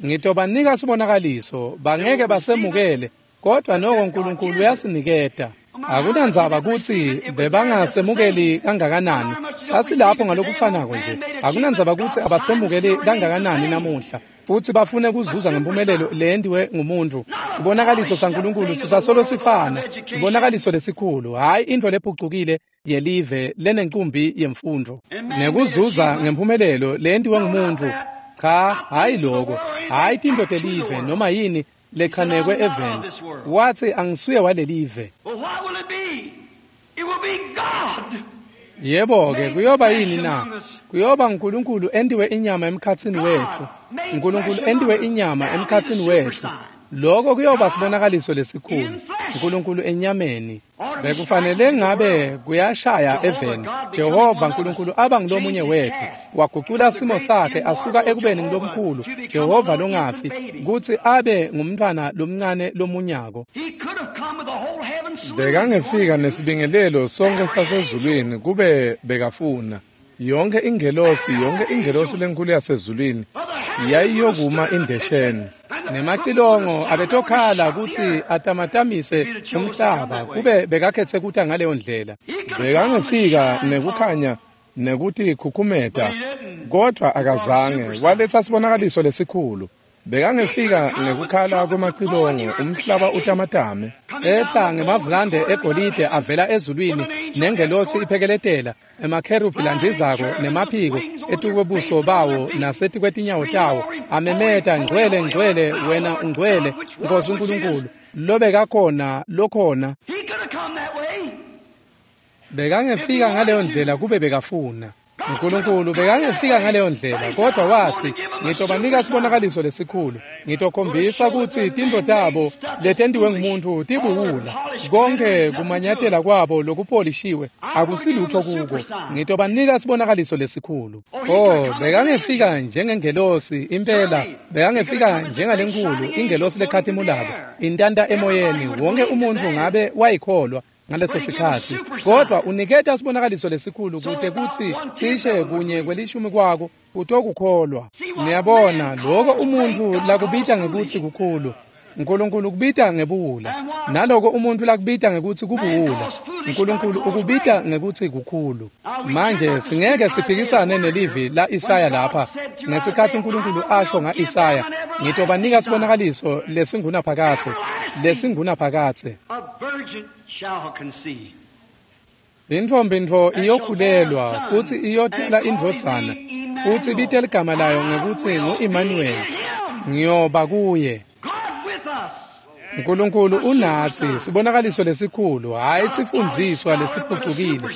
Ngitobanika sibonakaliso, bangeke basemukele, kodwa noko uNkulunkulu uyasiniketa. Akunandzaba kutsi bebangasemukeli kangakanani, sasilapho ngalokufanako nje. Akunandzaba kutsi abasemukeli kangakanani namuhla, futsi bafune kuzuza ngempumelelo leyentiwe ngumuntu. Sibonakaliso saNkulunkulu sisasolo sifana, sibonakaliso lesikhulu, hhayi intfo lephucukile yelive lenencumbi yemfundvo nekuzuza ngempumelelo leyentiwe ngumuntu. Cha, hhayi loko, hhayi tintfo telive noma yini lechanekwe eveni. Watsi angisuye walelive. Yebo-ke, kuyoba yini na? Kuyoba uNkulunkulu entiwe inyama emkhatsini wetfu. uNkulunkulu entiwe inyama emkhatsini wetfu. Loko kuyoba sibonakaliso lesikhulu, uNkulunkulu enyameni. Bekufanele ngabe kuyashaya eveni. Jehova uNkulunkulu aba ngulomunye wetfu, wagucula simo sakhe asuka ekubeni ngulomkhulu Jehova longafi kutsi abe ngumntfwana lomncane lomunyako. Bekangefika nesibingelelo sonke sasezulwini kube bekafuna. Yonke ingelosi, yonke ingelosi lenkulu yasezulwini yayiyokuma indesheni. Nemacilongo abetokhala kutsi atamatamise umhlaba kube bekakhetse kuta ngaleyo ndlela. Bekangefika nekukhanya nekutikhukhumeta, kodwa akazange. Waletsa sibonakaliso lesikhulu. Bekangefika ngekukhala kwemacilongo umhlaba utamatame. Ehla ngemavulande egolide avela ezulwini nengelosi iphekeletela, emakherubhi landizako nemaphiko etukwebuso bawo nasetikwetinyawo tawo, amemeta, ngcwele, ngcwele, wena ungcwele, Nkosi uNkulunkulu, lobekakhona, lokhona. Bekangefika ngaleyo ndlela kube bekafuna. uNkulunkulu bekangefika ngaleyo ndlela, kodwa watsi ngitobanika sibonakaliso lesikhulu, ngitokhombisa kutsi tintfo tabo letentiwe ngumuntu tibuwula, konke kumanyatela kwabo lokupolishiwe akusilutho kuko. Ngitobanika sibonakaliso lesikhulu. Oh, bekangefika njengengelosi impela, bekangefika njengalenkulu ingelosi lekhatimulako intanta emoyeni, wonke umuntfu ngabe wayikholwa ngaleso sikhatsi. Kodwa uniketa sibonakaliso lesikhulu kute kutsi cishe kunye kwelishumi kwako kutokukholwa. Niyabona, loko umuntfu lakubita ngekutsi kukhulu, uNkulunkulu ukubita ngebuwula, naloko umuntfu lakubita ngekutsi kubuwula, uNkulunkulu ukubita ngekutsi kukhulu. Manje singeke siphikisane nelivi la Isaya lapha. Ngesikhatsi uNkulunkulu asho nga-Isaya, ngitobanika sibonakaliso lesingunaphakadze, lesingunaphakadze. Intfombi ntfo iyokhulelwa futsi iyotela indvodzana, futsi ibite ligama layo ngekutsi ngu-Immanuel, ngiyoba kuye. uNkulunkulu unatsi, sibonakaliso lesikhulu, hhayi sifundziswa lesiphucukile,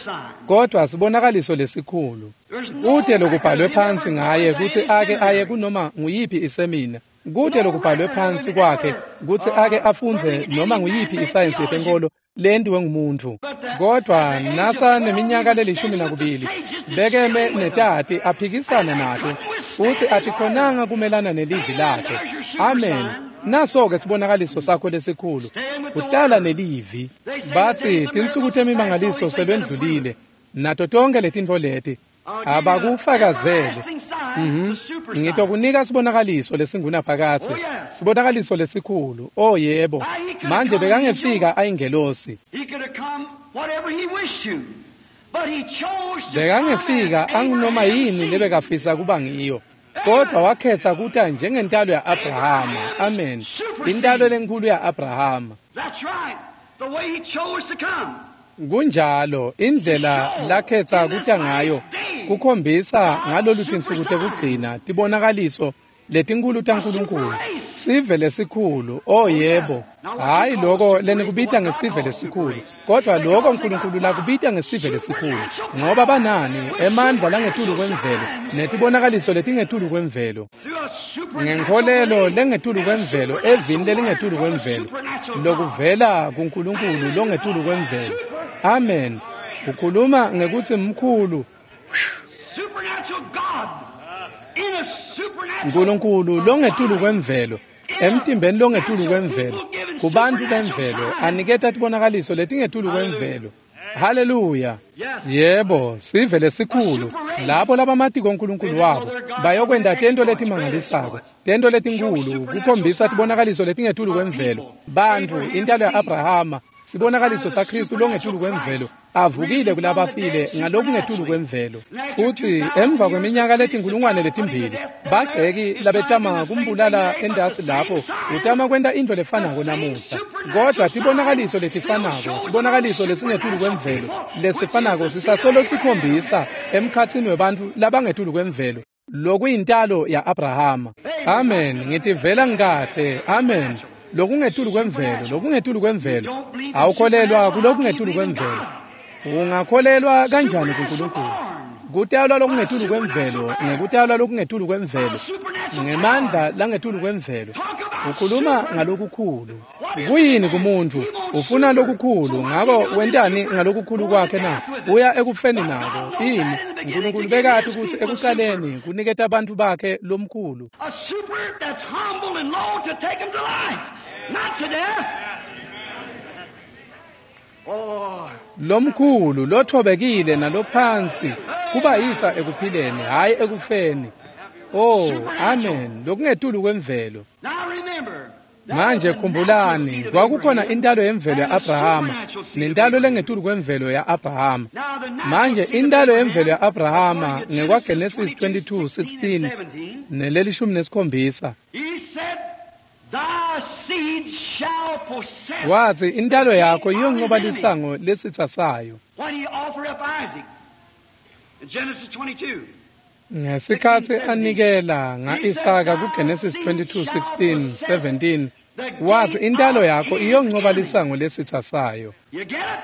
kodwa sibonakaliso lesikhulu. Kute lokubhalwe phansi ngaye kutsi ake aye kunoma nguyiphi isemina, kute lokubhalwe phansi kwakhe kutsi ake afundze noma nguyiphi isayensi yetenkolo lentiwe ngumuntu. Kodwa nasa neminyaka lelishumi nakubili bekeme netati aphikisana nato, futsi atikhonanga kumelana nelivi lakhe. Amen. Naso-ke sibonakaliso sakho lesikhulu, kuhlala nelivi. Batsi tinsuku temimangaliso selwendlulile, nato tonke letintfo leti abakufakazele. Mhm. Ngitokunika sibonakaliso lesingunaphakadze, sibonakaliso lesikhulu. Oh yebo. Manje bekangefika ayingelosi. Bekangefika angunoma yini lebekafisa kuba ngiyo. Kodwa wakhetha kuta njengentalo ya-Abrahama. Amen. Intalo lenkulu ya-Abrahama. Kunjalo indlela lakhetha kuta ngayo kukhombisa ngalolu tinsuku tekugcina tibonakaliso letinkulu taNkulunkulu. Sive lesikhulu. Oh yebo. Hayi lokho lenikubita ngesive lesikhulu, kodwa lokho uNkulunkulu lakubita ngesive lesikhulu, ngoba banani emandla langetulu kwemvelo netibonakaliso letingetulu kwemvelo, ngenkholelo lengetulu kwemvelo, evini lelingetulu kwemvelo, lokuvela kuNkulunkulu longetulu kwemvelo. Amen. Ukhuluma ngekuthi mkhulu uNkulunkulu longetulu kwemvelo, emtimbeni longetulu kwemvelo, kubantu bemvelo, aniketa tibonakaliso letingetulu kwemvelo. Haleluya. Yebo, sive lesikhulu, labo labamatiko uNkulunkulu wabo bayokwenta tento letimangalisako, tento letinkulu, kukhombisa tibonakaliso letingetulu kwemvelo. Bantfu, intalo ya-Abrahama, sibonakaliso saKristu longetulu kwemvelo, avukile kulabafile ngalokungetulu kwemvelo. Futhi emva kweminyaka letinkulungwane letimbili, bagceki labetama kumbulala endasi lapho utama kwenta into lefanako namuhla, kodwa tibonakaliso letifanako, sibonakaliso lesingetulu kwemvelo lesifanako sisasolo sikhombisa emkhatsini webantfu labangetulu kwemvelo, lokuyintalo ya-Abrahama. Amen. Ngitivela ngikahle. Amen. Lokungetulu kwemvelo, lokungetulu kwemvelo. Awukholelwa kulokungetulu kwemvelo. Ungakholelwa kanjani kuNkulunkulu? Kutalwa lokungetulu kwemvelo, ngekutalwa lokungetulu kwemvelo, ngemandla langetulu kwemvelo. Ukhuluma ngalokukhulu. Kuyini kumuntu? Ufuna lokukhulu, ngako wentani ngalokukhulu kwakhe na? Uya ekufeni nako. Ini? uNkulunkulu bekati ukuthi ekuqaleni kuniketa abantu bakhe lomkhulu. A super that's humble and low to take him to life, not to death. Oh, Lomkhulu lothobekile nalophansi kubayisa ekuphileni, hayi ekufeni. Oh, amen. Lokungetulu kwemvelo. now remember. Manje khumbulani, kwakukhona intalo yemvelo ya-Abrahama nentalo lengetulu kwemvelo ya-Abrahama. Manje intalo yemvelo ya-Abrahama ngekwaGenesis twenty-two sixteen nelelishumi nesikhombisa. He said, Thy seed shall possess. Wathi intalo yakho iyonqoba lisango lesitha sayo. When he offered up Isaac in Genesis twenty-two. Ngesikhathi anikela nga-Isaka kuGenesis twenty-two sixteen seventeen, wathi intalo yakho iyonqoba lisango lesitha sayo. You get it?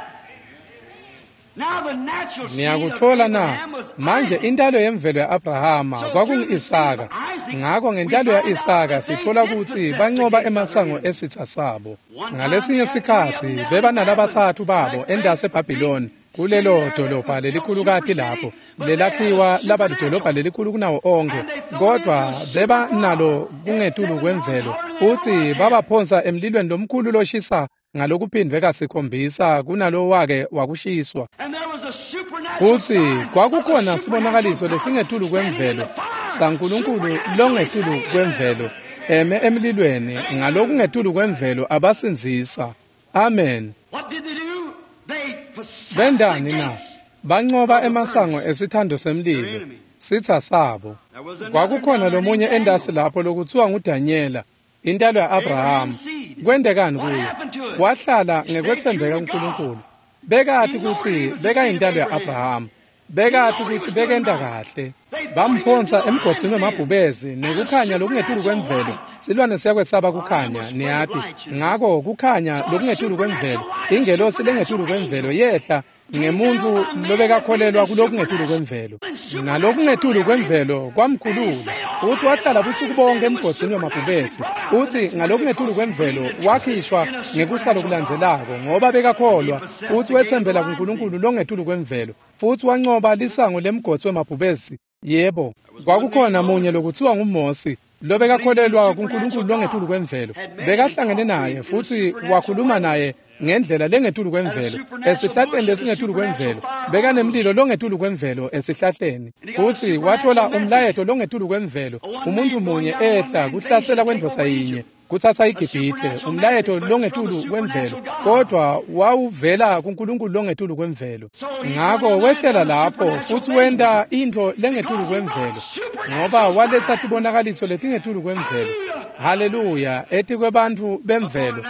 Now the natural seed of Niyakuthola na? Abraham was Manje Isaac. intalo yemvelo ya-Abrahama kwakungu-Isaka. Ngakho ngentalo ya-Isaka sithola ukuthi banqoba emasango esitha sabo. Ngalesinye sikhathi beba nalabathathu babo endase eBhabhiloni, kulelo dolobha lelikhulukati lapho lelakhiwa laba lidolobha lelikhulu kunawo onke, kodwa beba nalo kungetulu kwemvelo. Uthi babaphonsa emlilweni lomkhulu loshisa ngalokuphindwe kasikhombisa kunalo wake wakushiswa. And there was a supernatural Futhi sign kwakukhona of a sibonakaliso supernatural lesingetulu God kwemvelo standing in the fire. saNkulunkulu longetulu kwemvelo eme emlilweni ngalokungetulu kwemvelo abasindzisa. Amen. What did they do? They possessed the Bendani na? gates. Banqoba emasango esithando semlilo, sitha sabo. Kwakukhona lomunye endasi lapho lokuthiwa nguDanyela, intalo ya-Abrahama. Kwendekani kuye? Wahlala ngekwethembeka kuNkulunkulu. Bekati ukuthi bekayintalo ya-Abrahama. Bekati ukuthi bekenta kahle. Bamphonsa emgodzini wemabhubezi nekukhanya lokungetulu kwemvelo. Silwane siyakwesaba kukhanya, niyati. Ngako kukhanya lokungetulu kwemvelo, ingelosi lengetulu kwemvelo yehla ngemuntfu lobekakholelwa kulokungetulu kwemvelo. Nalokungetulu kwemvelo kwamkhulula. Uthi wahlala busuku bonke emgodzini wemabhubesi. Uthi ngalokungetulu kwemvelo wakhishwa ngekusa lokulandzelako ngoba bekakholwa. Uthi wetsembela kuNkulunkulu longetulu kwemvelo. Futhi wanqoba lisango lemgodzi wemabhubesi. Yebo, kwakukhona munye lokuthiwa nguMosi, lobekakholelwa kuNkulunkulu longetulu kwemvelo bekahlangene naye futsi wakhuluma naye ngendlela lengetulu kwemvelo esihlahleni lesingetulu kwemvelo bekanemlilo longetulu kwemvelo esihlahleni futsi wathola umlayeto longetulu kwemvelo umuntu munye ehla kuhlasela kwendvodza yinye kutsatsa iGibhithe umlayeto longetulu kwemvelo kodwa wawuvela kuNkulunkulu longetulu kwemvelo. Ngako wehlela lapho futsi wenta intfo lengetulu kwemvelo ngoba waletsa tibonakaliso letingetulu kwemvelo. Haleluya etikwebantfu bemvelo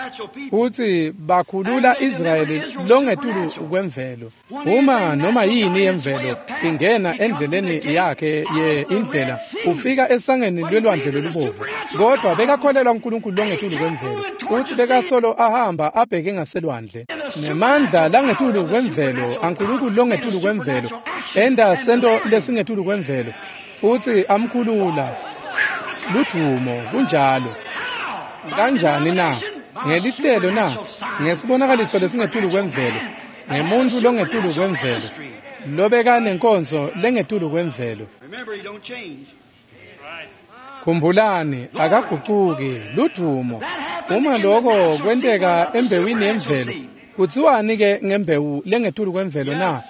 futsi bakhulula Israyeli longetulu kwemvelo. Uma noma yini yemvelo ingena endleleni yakhe ye indlela ufika esangeni lwelwandle lolubovu kodwa bekakholelwa uNkulunkulu longetulu kwemvelo futsi bekasolo ahamba abheke ngaselwandle nemandla langetulu kwemvelo aNkulunkulu longetulu kwemvelo enda sento lesingetulu kwemvelo futsi amkhulula. Ludumo kunjalo. Kanjani na? Ngelihlelo na? Ngesibonakaliso lesingetulu kwemvelo ngemuntu longetulu kwemvelo lobekanenkonzo lengetulu kwemvelo. Khumbulani akagucuki. Ludumo. Uma lokho kwenteka embewini yemvelo kutsiwani ke ngembewu lengetulu kwemvelo na?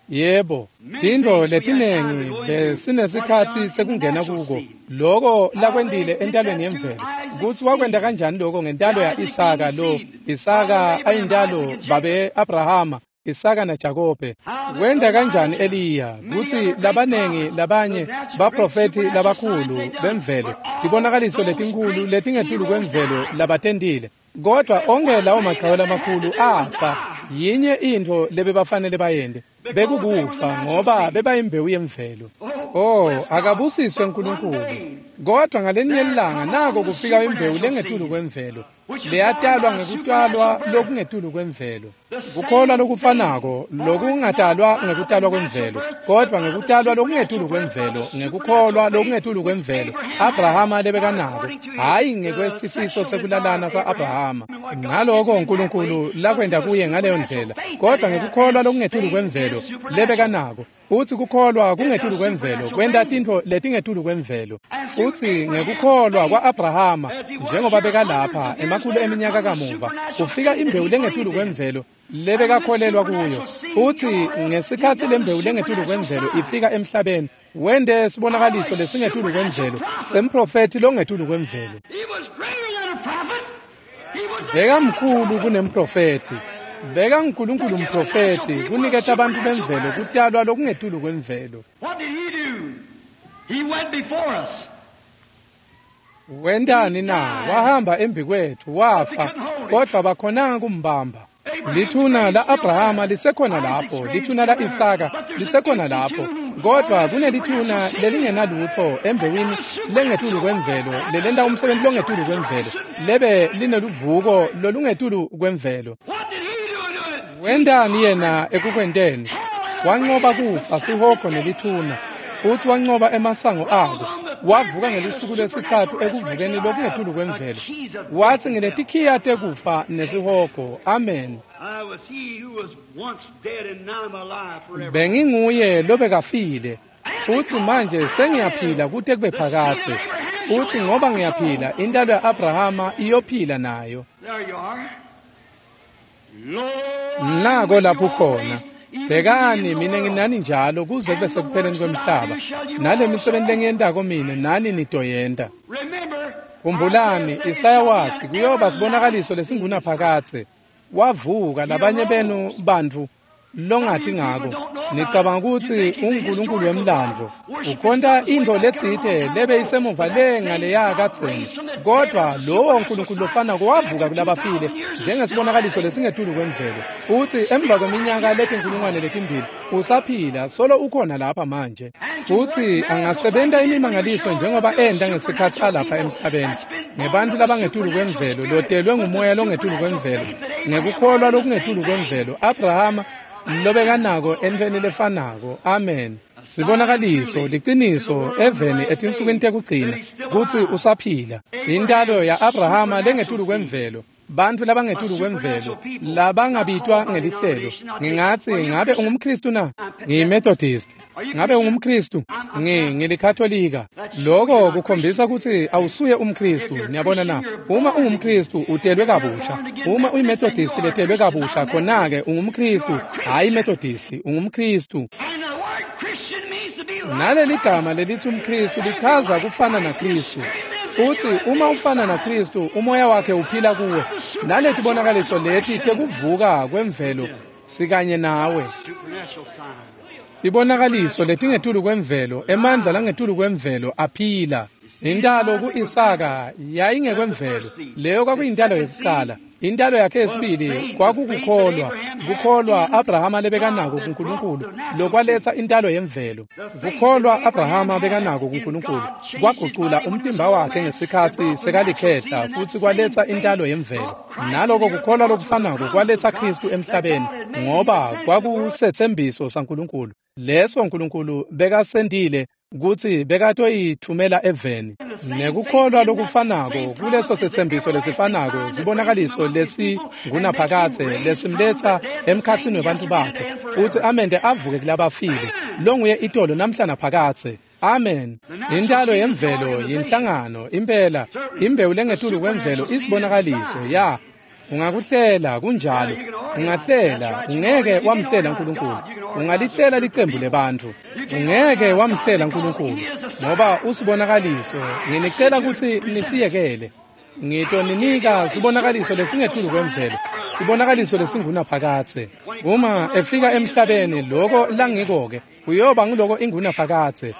Yebo, tintfo letinengi besinesikhatsi sekungena kuko loko lakwentile entalweni yemvelo kutsi wakwenta kanjani lokho ngentalo ya Isaka lo Isaka ayintalo babe Abrahama Isaka na Jakobe. Wenta kanjani Eliya kutsi labanengi labanye baprofeti labakhulu bemvelo tibonakaliso letinkhulu letingetulu kwemvelo labatentile kodwa onke lawo maqhawe lamakhulu afa. Yinye intfo lebebafanele bayente bekukufa ngoba bebayimbewu yemvelo. Oh, akabusiswe uNkulunkulu. Kodwa ngalenye ilanga nako kufika imbewu lengetulu kwemvelo leyatalwa ngekutalwa lokungetulu kwemvelo. Kukholwa lokufanako lokungatalwa ngekutalwa kwemvelo kodwa ngekutalwa lokungetulu kwemvelo ngekukholwa lokungetulu kwemvelo Abrahama lebekanako hayi ngekwesifiso sekulalana sa-Abrahama ngaloko uNkulunkulu lakwenta kuye ngaleyo ndlela kodwa ngekukholwa lokungetulu kwemvelo lebekanako. Futsi kukholwa kungetulu kwemvelo kwenta tintfo letingetulu kwemvelo. Futsi ngekukholwa kwa-Abrahama njengoba bekalapha emakhulu eminyaka kamuva kufika imbewu lengetulu kwemvelo lebekakholelwa kuyo. Futsi ngesikhatsi lembewu lengetulu kwemvelo ifika emhlabeni wente sibonakaliso lesingetulu kwemvelo semprofethi longetulu kwemvelo. Bekamkhulu kunemprofethi. Beka uNkulunkulu umprofethi kuniketa abantu bemvelo kutalwa lokungetulu kwemvelo. Wentani na? Wahamba embi kwethu wafa kodwa bakhonanga kumbamba. Lithuna la-Abrahama lisekhona lapho, lithuna la-Isaka lisekhona lapho kodwa kunelithuna lelingenalutfo embewini lengetulu kwemvelo lelenta umsebenzi longetulu kwemvelo lebe lineluvuko lolungetulu kwemvelo. Wentani yena ekukwenteni? Wanqoba kufa sihogo nelithuna futsi wanqoba emasango ako. Wavuka ngelusuku lwesitsatfu ekuvukeni lokungetulu kwemvelo. Watsi nginetikhiya tekufa nesihogo. Amen. Benginguye lobekafile futsi manje sengiyaphila kute kube phakadze futsi ngoba ngiyaphila intalo ya-Abrahama iyophila nayo. Nako lapho khona. Bhekani mina nginani njalo kuze kube sekupheleni kwemhlaba nale misebenzi lengiyentako mine nani nitoyenta. Khumbulani Isaya wathi kuyoba sibonakaliso lesingunaphakadze. Wavuka labanye benu bantfu longati ngako nicabanga kutsi unguNkulunkulu wemlandvo ukhonta intfo letsite lebe isemuva le ngaleya kadzeni kodwa lowo Nkulunkulu lofanako wavuka kulabafile njengesibonakaliso lesingetulu kwemvelo utsi emva kweminyaka letinkulungwane letimbili usaphila solo ukhona lapha manje futsi angasebenta imimangaliso njengoba enta ngesikhatsi alapha emhlabeni ngebantfu labangetulu kwemvelo lotelwe ngumoya longetulu kwemvelo ngekukholwa lokungetulu kwemvelo Abrahama lobekanako entfweni lefanako. Amen. Sibonakaliso liciniso eveni etinsukwini tekugcina kutsi usaphila. Intalo ya-Abrahama lengetulu kwemvelo bantfu labangetulu kwemvelo labangabitwa ngelihlelo. Ngingatsi ngabe ungumKhristu na? NgiyiMethodist. Ngabe ungumKhristu? Ngi ngilikatolika. Lokho kukhombisa kutsi awusuye umKristu. Niyabona na? Uma ungumKristu utelwe kabusha. Uma uyiMethodist letelwe kabusha, khona-ke ungumKristu, hhayi iMethodist, ungumKristu. Naleli gama lelithi umKristu lichaza kufana naKristu. Futhi uma ufana naKristu, umoya wakhe uphila kuwe. Naletibonakaliso leti tekuvuka kwemvelo sikanye nawe. Ibonakaliso letingetulu kwemvelo, emandla langetulu kwemvelo aphila. Intalo ku-Isaka yayingekwemvelo, leyo kwakuyintalo yokuqala. Intalo yakhe yesibili kwakukukholwa, kukholwa Abrahama lebekanako kuNkulunkulu, lokwaletsa intalo yemvelo. Kukholwa Abrahama bekanako kuNkulunkulu kwagucula umtimba wakhe ngesikhatsi sekalikhehla futsi kwaletsa intalo yemvelo. Naloko kukholwa lokufanako kwaletsa Kristu emhlabeni, ngoba kwakusetsembiso saNkulunkulu leso Nkulunkulu bekasendile kutsi bekatoyithumela eveni. Nekukholwa lokufanako kuleso setsembiso lesifanako, sibonakaliso lesingunaphakadze lesimletsa emkhatsini webantfu bakhe futsi amente avuke kulabafile, longuye itolo namhla naphakadze. Amen. Intalo yemvelo yinhlangano impela, imbewu lengetulu kwemvelo isibonakaliso ya. Ungakuhlela kunjalo, ungahlela, ungeke wamhlela uNkulunkulu. Ungalihlela licembu lebantfu, ungeke wamhlela uNkulunkulu, ngoba usibonakaliso. Nginicela kutsi nisiyekele. Ngitoninika sibonakaliso lesingetulu kwemvelo, sibonakaliso lesingunaphakadze. Uma efika emhlabeni, loko langiko-ke kuyoba nguloko ingunaphakadze.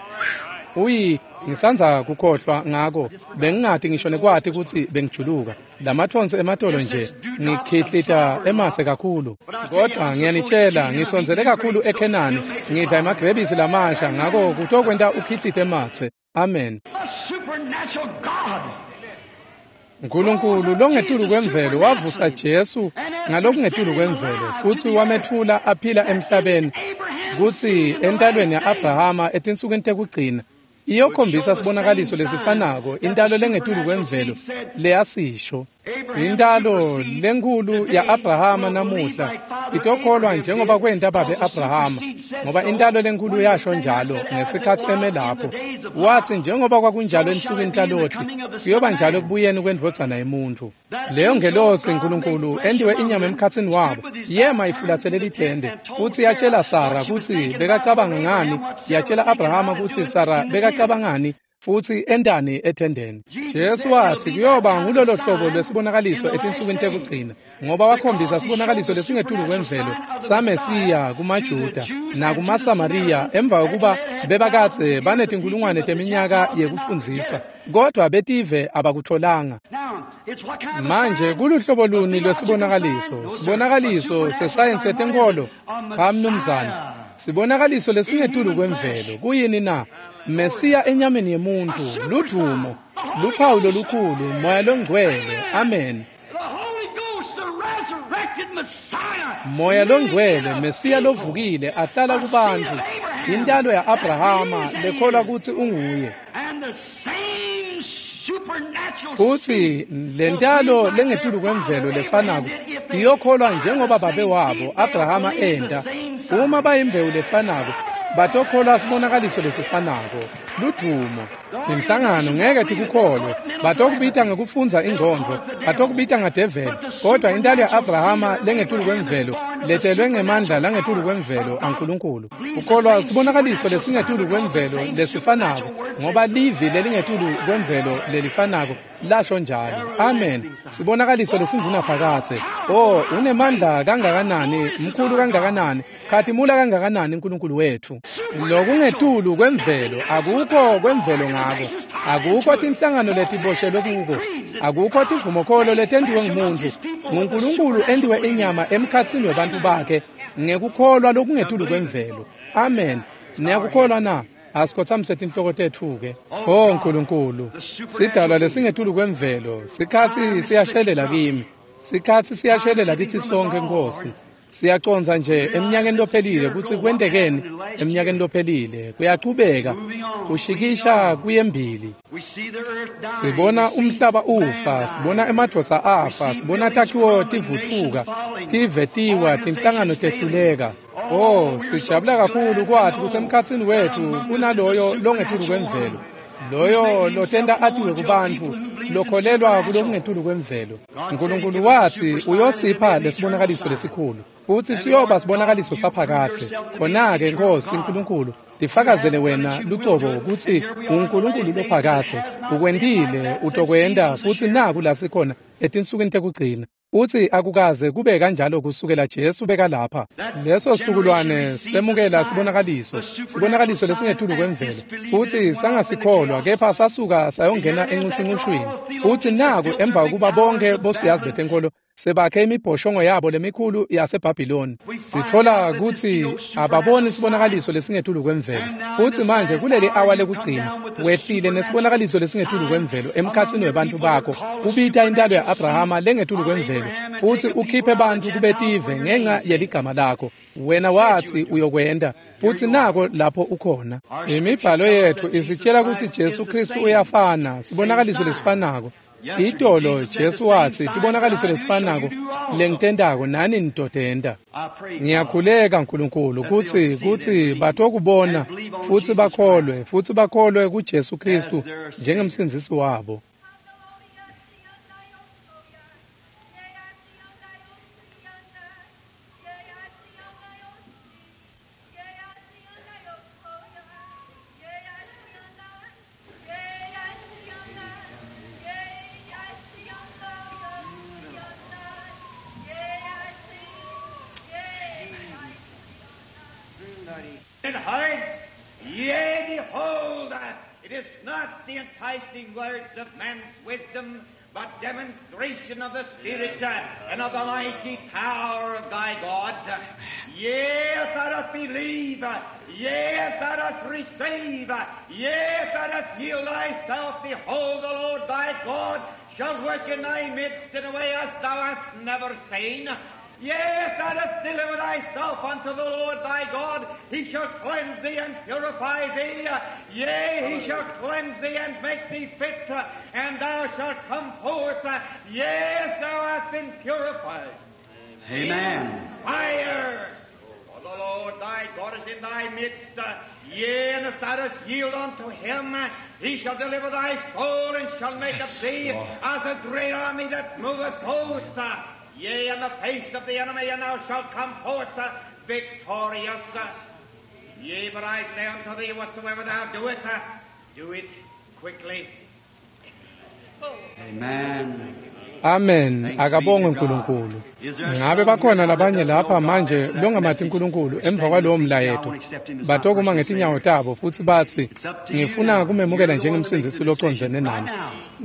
Uyi ngisandza kukhohlwa ngako, bengingati ngisho nekwati kutsi bengijuluka. Lamathonsi ematolo nje ngikhihlita ematse kakhulu. Kodwa ngiyanitshela, ngisondzele kakhulu eKhenani, ngidla emagrebisi lamasha, ngako kutokwenta ukhihlite ematse. Amen. Nkulunkulu longetulu kwemvelo wavusa Jesu ngalokungetulu kwemvelo futsi wametfula aphila emhlabeni kutsi entalweni ya-Abrahama etinsukwini tekugcina iyokhombisa sibonakaliso lesifanako, intalo lengetulu kwemvelo leyasisho. Intalo lenkhulu ya-Abrahama namuhla itokholwa njengoba kwenta babe Abrahama, ngoba intalo lenkhulu yasho njalo ngesikhatsi eme lapho. Watsi njengoba kwakunjalo ensukwini taLoti, kuyoba njalo ekubuyeni kwendvodzana yemuntfu. Leyo ngelosi Nkulunkulu entiwe inyama emkhatsini wabo, yema ifulathele lithende futsi yatshela Sara kutsi bekacabanga ngani, yatshela Abrahama kutsi Sara bekacabangani futsi entani ethendeni. Jesu watsi kuyoba ngulolo hlobo lwesibonakaliso etinsukwini tekugcina, ngoba wakhombisa sibonakaliso lesingetulu kwemvelo saMesiya kumaJuda nakumaSamariya emva kokuba bebakadze banetinkulungwane teminyaka yekufundzisa, kodwa betive abakutholanga. Manje kuluhlobo luni lwesibonakaliso? Sibonakaliso sesayensi yetenkolo? Cha mnumzane. Sibonakaliso lesingetulu kwemvelo kuyini na? Mesiya enyameni yemuntu, ludvumo, luphawu lolukhulu, Moya loNgcwele. Amen. Moya loNgcwele, Mesiya lovukile ahlala kubantfu, intalo ya-Abrahama lekholwa kutsi unguye. Futsi lentalo lengetulu kwemvelo lefanako iyokholwa njengoba babe wabo Abrahama enta. Uma bayimbewu lefanako, batokholwa sibonakaliso lesifanako, ludvumo. Tinhlangano ngeke tikukholwe, batokubita ngekufundza ingcondvo, batokubita ngadeveli, kodwa intalo ya-Abrahama lengetulu kwemvelo letelwe ngemandla langetulu kwemvelo aNkulunkulu. Ukholwa sibonakaliso lesingetulu kwemvelo lesifanako, ngoba livi lelingetulu kwemvelo lelifanako lasho njalo. Amen. Sibonakaliso lesingunaphakadze. Oh, unemandla kangakanani, mkhulu kangakanani, khatimula kangakanani uNkulunkulu wethu. Lokungetulu kwemvelo akukho kwemvelo ngako, akukho tinhlangano letiboshelwe kuko, akukho tivumokholo letentiwe ngumuntu. NguNkulunkulu entiwe inyama emkhatsini webantfu bakhe ngekukholwa lokungetulu kwemvelo. Amen. Niyakukholwa na? Asikhotsamise tinhloko tetfu-ke. Oh Nkulunkulu, sidalwa lesingetulu kwemvelo, sikhatsi siyashelela kimi, sikhatsi siyashelela kitsi sonkhe Nkosi. Siyacondza nje eminyakeni lophelile kutsi kwentekeni eminyakeni lophelile. Kuyachubeka kushikisha kuyembili. Sibona umhlaba ufa, sibona emadvodza afa, sibona takhiwo tivutfuka, tive tiwa, tinhlangano tehluleka. Oh, sijabula kakhulu kwati kutsi emkhatsini wetfu kunaloyo longetulu kwemvelo, loyo lotenta atiwe kubantfu, lokholelwa kulokungetulu kwemvelo. Nkulunkulu watsi uyosipha lesibonakaliso lesikhulu, futsi siyoba sibonakaliso saphakadze. Khona-ke Nkosi Nkulunkulu, tifakazele wena lucobo kutsi uNkulunkulu lophakadze. Ukwentile, utokwenta, futsi naku la sikhona etinsukwini tekugcina. Utsi akukaze kube kanjalo kusukela Jesu bekalapha. Leso situkulwane semukela sibonakaliso, sibonakaliso lesingetulu kwemvelo, futsi sangasikholwa, kepha sasuka sayongena encushuncushwini. Futsi naku emva kokuba bonke bosiyazi betenkolo sebakhe imibhoshongo yabo lemikhulu yaseBhabhiloni, sitfola kutsi ababoni sibonakaliso lesingetulu kwemvelo. Futsi manje kuleli awa lekugcina wehlile nesibonakaliso lesingetulu kwemvelo emkhatsini webantfu bakho, ubita intalo ya-Abrahama lengetulu kwemvelo, futsi ukhiphe bantfu kubetive ngenca yeligama lakho. Wena watsi uyokwenta, futsi nako lapho ukhona. Imibhalo yetfu isitshela kutsi Jesu Kristu uyafana, sibonakaliso lesifanako. Itolo Jesu watsi tibonakaliso letifanako lengitentako nani nitotenta. Ngiyakhuleka Nkulunkulu kutsi kutsi batokubona futsi bakholwe, futsi bakholwe kuJesu Kristu njengemsindzisi wabo. Yea, behold, it is not the enticing words of man's wisdom, but demonstration of the Spirit and of the mighty power of thy God. Yea, if thou dost believe, yea, if thou dost receive, yea, if thou dost yield thyself, behold, the Lord thy God shall work in thy midst in a way as thou hast never seen. Yea, if thou dost deliver thyself unto the Lord thy God, he shall cleanse thee and purify thee. Yea, he shall cleanse thee and make thee fit, and thou shalt come forth. Yea, if thou hast been purified. Amen. Fire! For the Lord thy God is in thy midst. Yea, and if thou dost yield unto him, he shall deliver thy soul and shall make of thee as a great army that moveth hosts. Yea, in the face of the enemy, and thou shalt come forth uh, victorious. Uh, yea, but I say unto thee, whatsoever thou doest, uh, do it quickly. Amen. Amen. Akabongwe uNkulunkulu. Ngabe bakhona labanye lapha manje longamati uNkulunkulu emva kwalowo mlayeto, batokuma ngetinyawo tabo futsi batsi ngifuna kumemukela njengemsindzisi locondzene nami.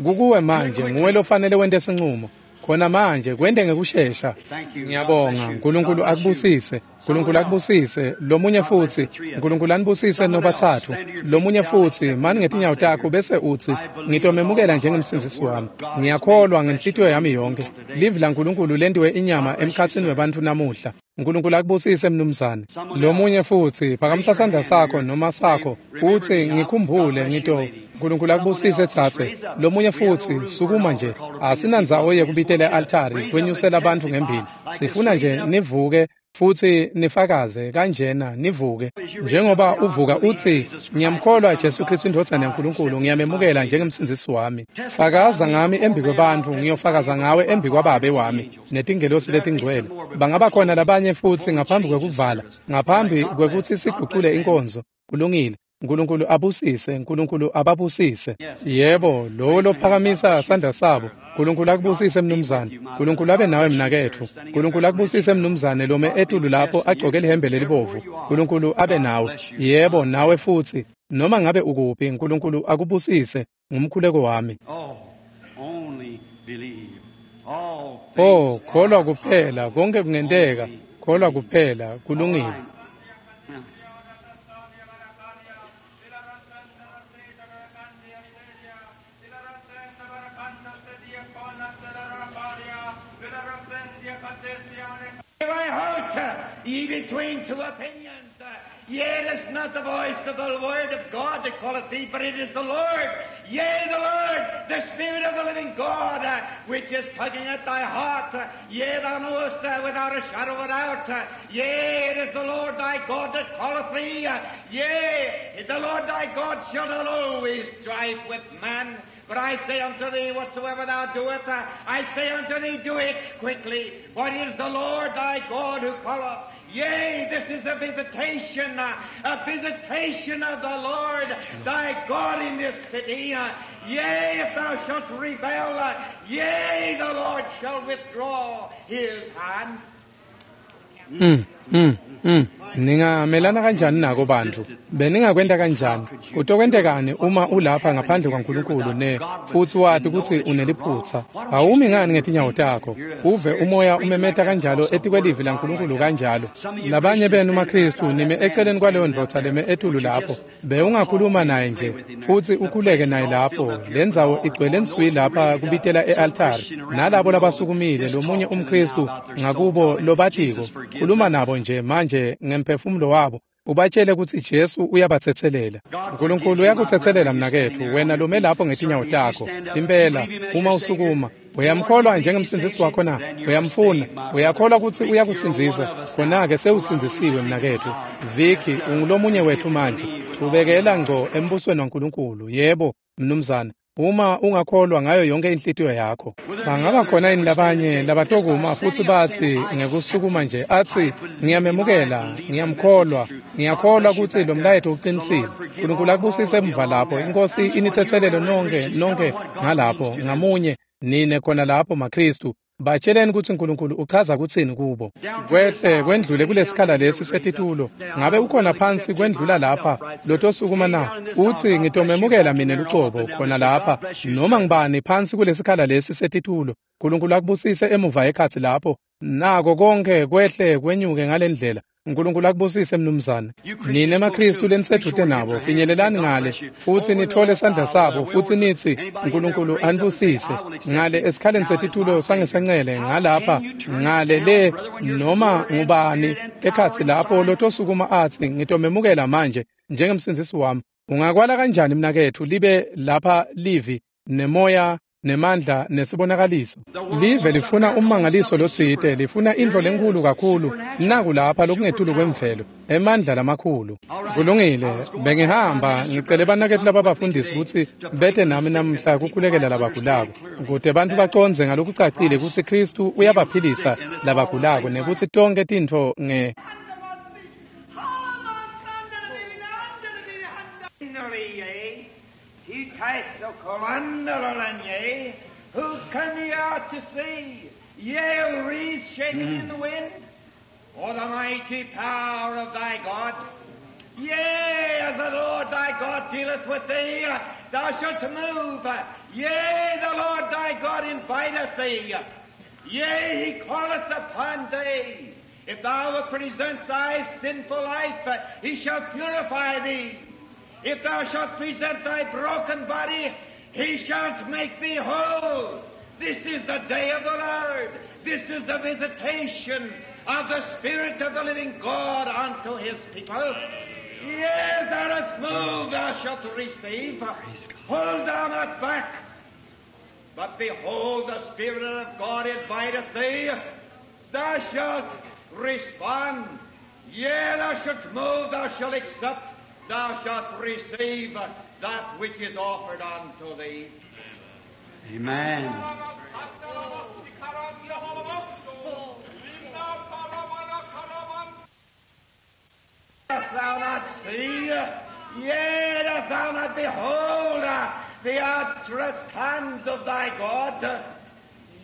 Kukuwe manje, nguwe lofanele wente sincumo. Khona manje kwente ngekushesha. Ngiyabonga. Nkulunkulu akubusise. Nkulunkulu akubusise. Lomunye futsi, Nkulunkulu anibusise nobathathu. Lomunye futsi, mani ngetinyawo takho bese utsi ngitomemukela njengemsindzisi wami. Ngiyakholwa ngenhlitiyo yami yonke. Livi laNkulunkulu lentiwe inyama emkhatsini webantfu namuhla. Nkulunkulu akubusise mnumzane. Lomunye futsi, phakamisa sandla sakho noma sakho utsi ngikhumbule ngito. Nkulunkulu akubusise tsatse. Lomunye futsi, sukuma nje. Asinandzawo yekubitela e-altari kwenyusela bantfu ngembili. Sifuna nje nivuke futsi nifakaze kanjena nivuke. Njengoba uvuka utsi ngiyamkholwa Jesu Kristu indvodzana yaNkulunkulu, ngiyamemukela njengemsindzisi wami. Fakaza ngami embi kwebantfu, ngiyofakaza ngawe embi kwaBabe wami netingelosi letingcwele. Bangaba khona labanye futsi ngaphambi kwekuvala, ngaphambi kwekutsi sigucule inkonzo. Kulungile. Nkulunkulu abusise, Nkulunkulu ababusise. Yebo, lowo lophakamisa sandla sabo. Nkulunkulu akubusise mnumzane. Nkulunkulu abe nawe mnaketfu. Nkulunkulu akubusise mnumzane lome etulu lapho agcoke lihembe lelibovu. Nkulunkulu abe nawe. Yebo, nawe futsi. Noma ngabe ukuphi, Nkulunkulu akubusise. Ngumkhuleko wami. Oh, only believe. All Oh, kholwa kuphela, konke kungenteka. Kholwa kuphela, kulungile. Thy heart Ye between two opinions. Yea, it is not the voice of the word of God that calleth thee, but it is the Lord. Yea, the Lord, the Spirit of the living God, uh, which is tugging at thy heart. Uh, yea, thou knowest uh, without a shadow of a doubt. Uh, yea, it is the Lord thy God that calleth thee. Uh, yea, the Lord thy God shall not always strive with man. But I say unto thee, whatsoever thou doest, uh, I say unto thee, do it quickly. For it is the Lord thy God who calleth. Yea, this is a visitation, uh, a visitation of the Lord thy God in this city. Uh, yea, if thou shalt rebel, uh, yea, the Lord shall withdraw his hand. Mm, mm, mm. Ningamelana kanjani nako bantfu? Beningakwenta kanjani? Kutokwentekani uma ulapha ngaphandle kwaNkulunkulu ne futsi wati kutsi uneliphutsa? Awumi ngani ngetinyawo takho? Uve umoya umemeta kanjalo etikwelivi laNkulunkulu kanjalo. Labanye benu maKhristu nime eceleni kwaleyo ndvodza leme etulu lapho. Bewungakhuluma naye nje futsi ukhuleke naye lapho. Lendzawo igcwele nswi lapha kubitela e-altari. Nalabo labasukumile lomunye umKhristu ngakubo lobatiko. Khuluma nabo nje manje ngemphefumulo wabo ubatshele kutsi Jesu uyabatsetselela. uNkulunkulu uyakutsetselela mnaketfu wena lome lapho ngetinyawo takho. Impela uma usukuma uyamkholwa njengemsindzisi wakho na? Uyamfuna? Uyakholwa kutsi uyakusindzisa? Khona-ke sewusindzisiwe mnaketfu. Vicky ungulomunye wetfu manje. Ubekela ngco embusweni waNkulunkulu. Yebo mnumzane. Uma ungakholwa ngayo yonke inhlitiyo yakho. Bangaba khona yini labanye labatokuma futsi batsi ngekusukuma nje atsi ngiyamemukela, ngiyamkholwa, ngiyakholwa kutsi lo mlayeto uqinisile. uNkulunkulu akubusise emva lapho. Inkosi initsetselele nonke nonke ngalapho ngamunye nine khona lapho maKhristu. Batsheleni kutsi uNkulunkulu uchaza kutsini kubo. Kwehle kwendlule kulesikhala lesi setitulo. Ngabe ukhona phansi kwendlula lapha lotosukuma na? Utsi ngitomemukela mine lucobo khona lapha noma ngibani phansi kulesikhala lesi setitulo. uNkulunkulu akubusise emuva ekhatsi lapho. Nako konke kwehle kwenyuke ngalendlela. uNkulunkulu akubusise mnumzane. Nine maKhristu lenisedvute nabo finyelelani ngale futsi nithole sandla sabo futsi nitsi uNkulunkulu anibusise ngale esikhaleni setitulo sangesencele ngalapha ngale le noma ngubani ekhatsi lapho lotosukuma atsi ngitomemukela manje njengemsindzisi wami. Ungakwala kanjani mnaketfu libe lapha livi nemoya nemandla nesibonakaliso? Live lifuna ummangaliso lotsite, lifuna intfo lenkulu kakhulu. Naku lapha lokungetulu kwemvelo, emandla lamakhulu. Kulungile, bengihamba ngicele banaketfu lababafundisi kutsi bete nami namhla kukhulekela labagulako, kute bantfu bacondze ngalokucacile kutsi Khristu uyabaphilisa labagulako nekutsi tonkhe tintfo nge Who come ye out to see? Yea, reeds shaking in the wind? Or the mighty power of thy God? Yea, as the Lord thy God dealeth with thee, thou shalt move. Yea, the Lord thy God inviteth thee. Yea, he calleth upon thee. If thou wilt present thy sinful life, he shall purify thee. If thou shalt present thy broken body, he shall make thee whole. This is the day of the Lord. This is the visitation of the Spirit of the living God unto his people. Yes, thou dost move, thou shalt receive. Hold thou not back. But behold, the Spirit of God inviteth thee. Thou shalt respond. Yea, thou shalt move, thou shalt accept, thou shalt receive that which is offered unto thee. Amen. Dost thou not see? Yea, dost thou not behold the outstretched hands of thy God?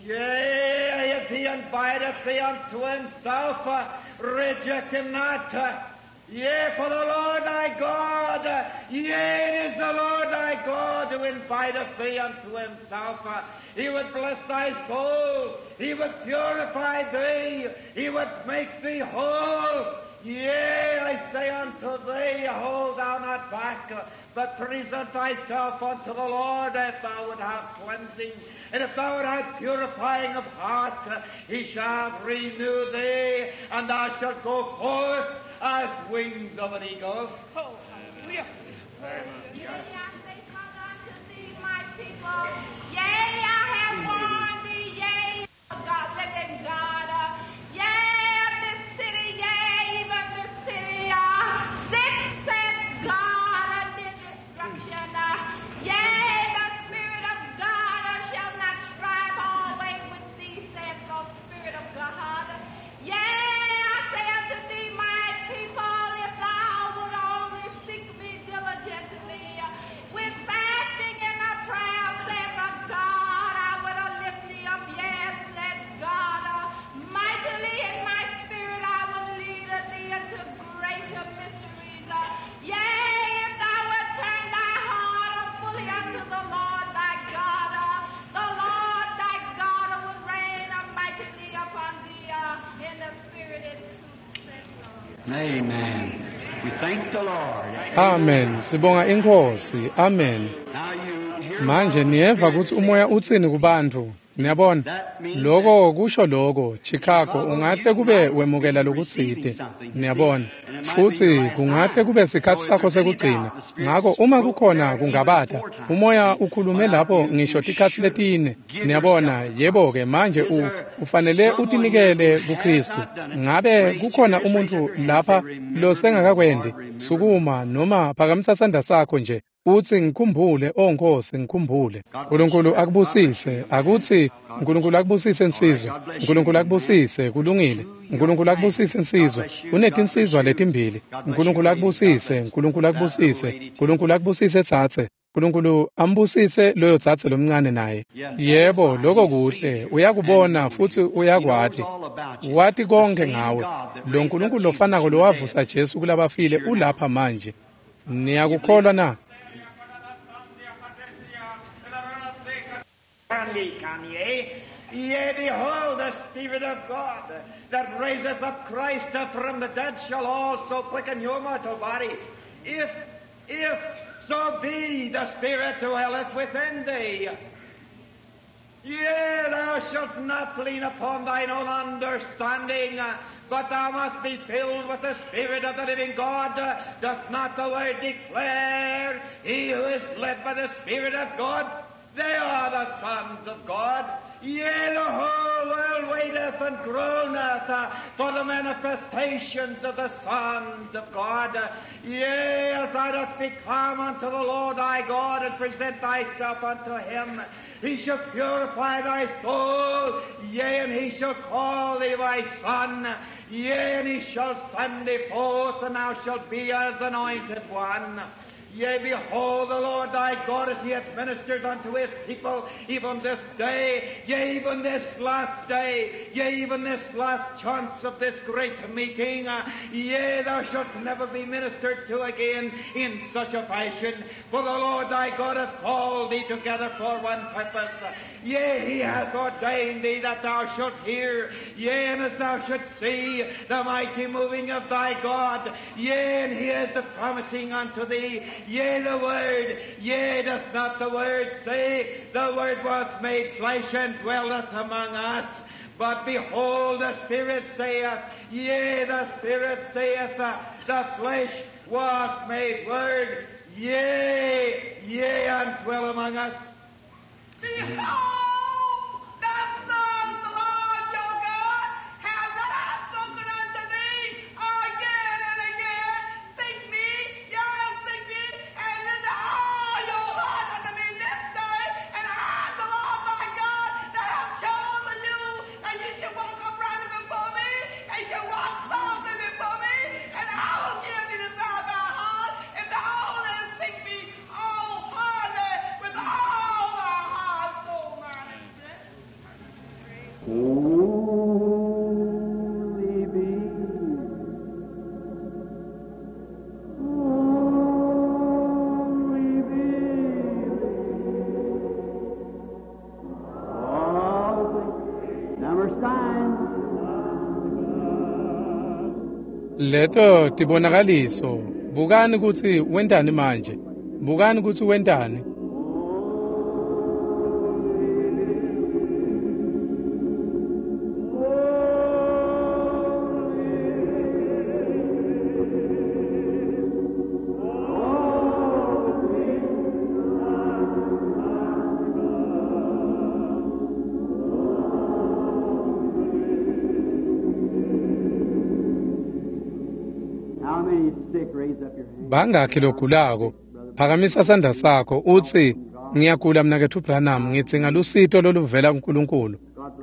Yea, if he inviteth thee unto himself, reject him not. Yea, for the Lord thy God, yea, it is the Lord thy God who inviteth thee unto himself. He would bless thy soul. He would purify thee. He would make thee whole. Yea, I say unto thee, hold thou not back, but present thyself unto the Lord, if thou would have cleansing, and if thou would have purifying of heart, he shall renew thee, and thou shalt go forth as wings of an eagle. Oh, hallelujah. Yea, I say unto thee, my people, yea, I have warned thee, yea, God, living God, uh, yea, of this city, yea, even this city, uh, this saith God unto destruction, uh, yea, the Spirit of God uh, shall not strive always with thee, saith the Spirit of God. Yea, I say unto thee, my people, if thou would only seek me diligently, with fasting and a prayer, saith the God, I would lift thee up, yes, said God, uh, mightily in my spirit I will lead thee into greater mysteries. Uh, yea, if thou wilt turn thy heart fully unto the Lord thy God, uh, the Lord thy God will rain mightily upon thee uh, in the spirit and truth, said the Lord. Amen. We thank the Lord. Amen. Sibonga iNkhosi. Amen. Now you hear Manje what the niyeva Spirit kutsi says. umoya utsini kubantfu. Niyabona? Loko kusho loko, Chicago ungahle kube wemukela lokutsite. Niyabona? Futsi kungahle kube sikhatsi sakho sekugcina. Ngako uma kukhona kungabata, umoya ukhulume lapho ngisho tikhatsi letine. Niyabona? Yebo ke manje u ufanele utinikele kuKristu. Ngabe kukhona umuntfu lapha losengakakwendi? Sukuma noma phakamisa sandla sakho nje. Utsi ngikhumbule, o Nkosi, ngikhumbule. Nkulunkulu akubusise, akutsi Nkulunkulu akubusise insizwa. Nkulunkulu akubusise, kulungile. Nkulunkulu akubusise insizwa. Kunetinsizwa letimbili. Nkulunkulu akubusise, Nkulunkulu akubusise. Nkulunkulu akubusise tsatse. Nkulunkulu ambusise loyo tsatse lomncane naye. Yebo, lokho kuhle. Uyakubona futhi uyakwati. Wati konke ngawe. Lo Nkulunkulu lofanako lowavusa Jesu kulabafile ulapha manje. Niyakukholwa na? Kanye. Yea, behold, the Spirit of God that raiseth up Christ from the dead shall also quicken your mortal body. If, if so be the Spirit dwelleth within thee. Yea, thou shalt not lean upon thine own understanding, but thou must be filled with the Spirit of the living God. Doth not the Word declare, he who is led by the Spirit of God, they are the sons of God. Yea, the whole world waiteth and groaneth uh, for the manifestations of the sons of God. Yea, if thou dost become unto the Lord thy God and present thyself unto him, he shall purify thy soul. Yea, and he shall call thee my son. Yea, and he shall send thee forth, and thou shalt be as anointed one. Yea, behold, the Lord thy God, as he hath ministered unto his people, even this day, yea, even this last day, yea, even this last chance of this great meeting, uh, yea, thou shalt never be ministered to again in such a fashion. For the Lord thy God hath called thee together for one purpose. Yea, he hath ordained thee that thou shalt hear, yea, and as thou shalt see the mighty moving of thy God. Yea, and he is the promising unto thee. Yea, the Word, yea, doth not the Word say, the Word was made flesh and dwelleth among us. But behold, the Spirit saith, yea, the Spirit saith, uh, the flesh was made Word, yea, yea, and dwell among us. Behold, the Son of the Lord your God hath that I have spoken unto thee again and again. Seek me, yea, seek me, and render all your heart unto me this day, and I, the Lord thy God, that have chosen you, and you shall walk uprightly before me, and shall walk softly before me, and I will give thee the desire of thy heart, if thou only seek me wholeheartedly with all thy heart, soul, mind. Leto tibonakaliso. Bukani kutsi wentani manje. Bukani kutsi wentani. Bangakhi logulako? Phakamisa sandla sakho utsi, ngiyagula mnaketfu Branham, ngidzinga lusito loluvela kuNkulunkulu.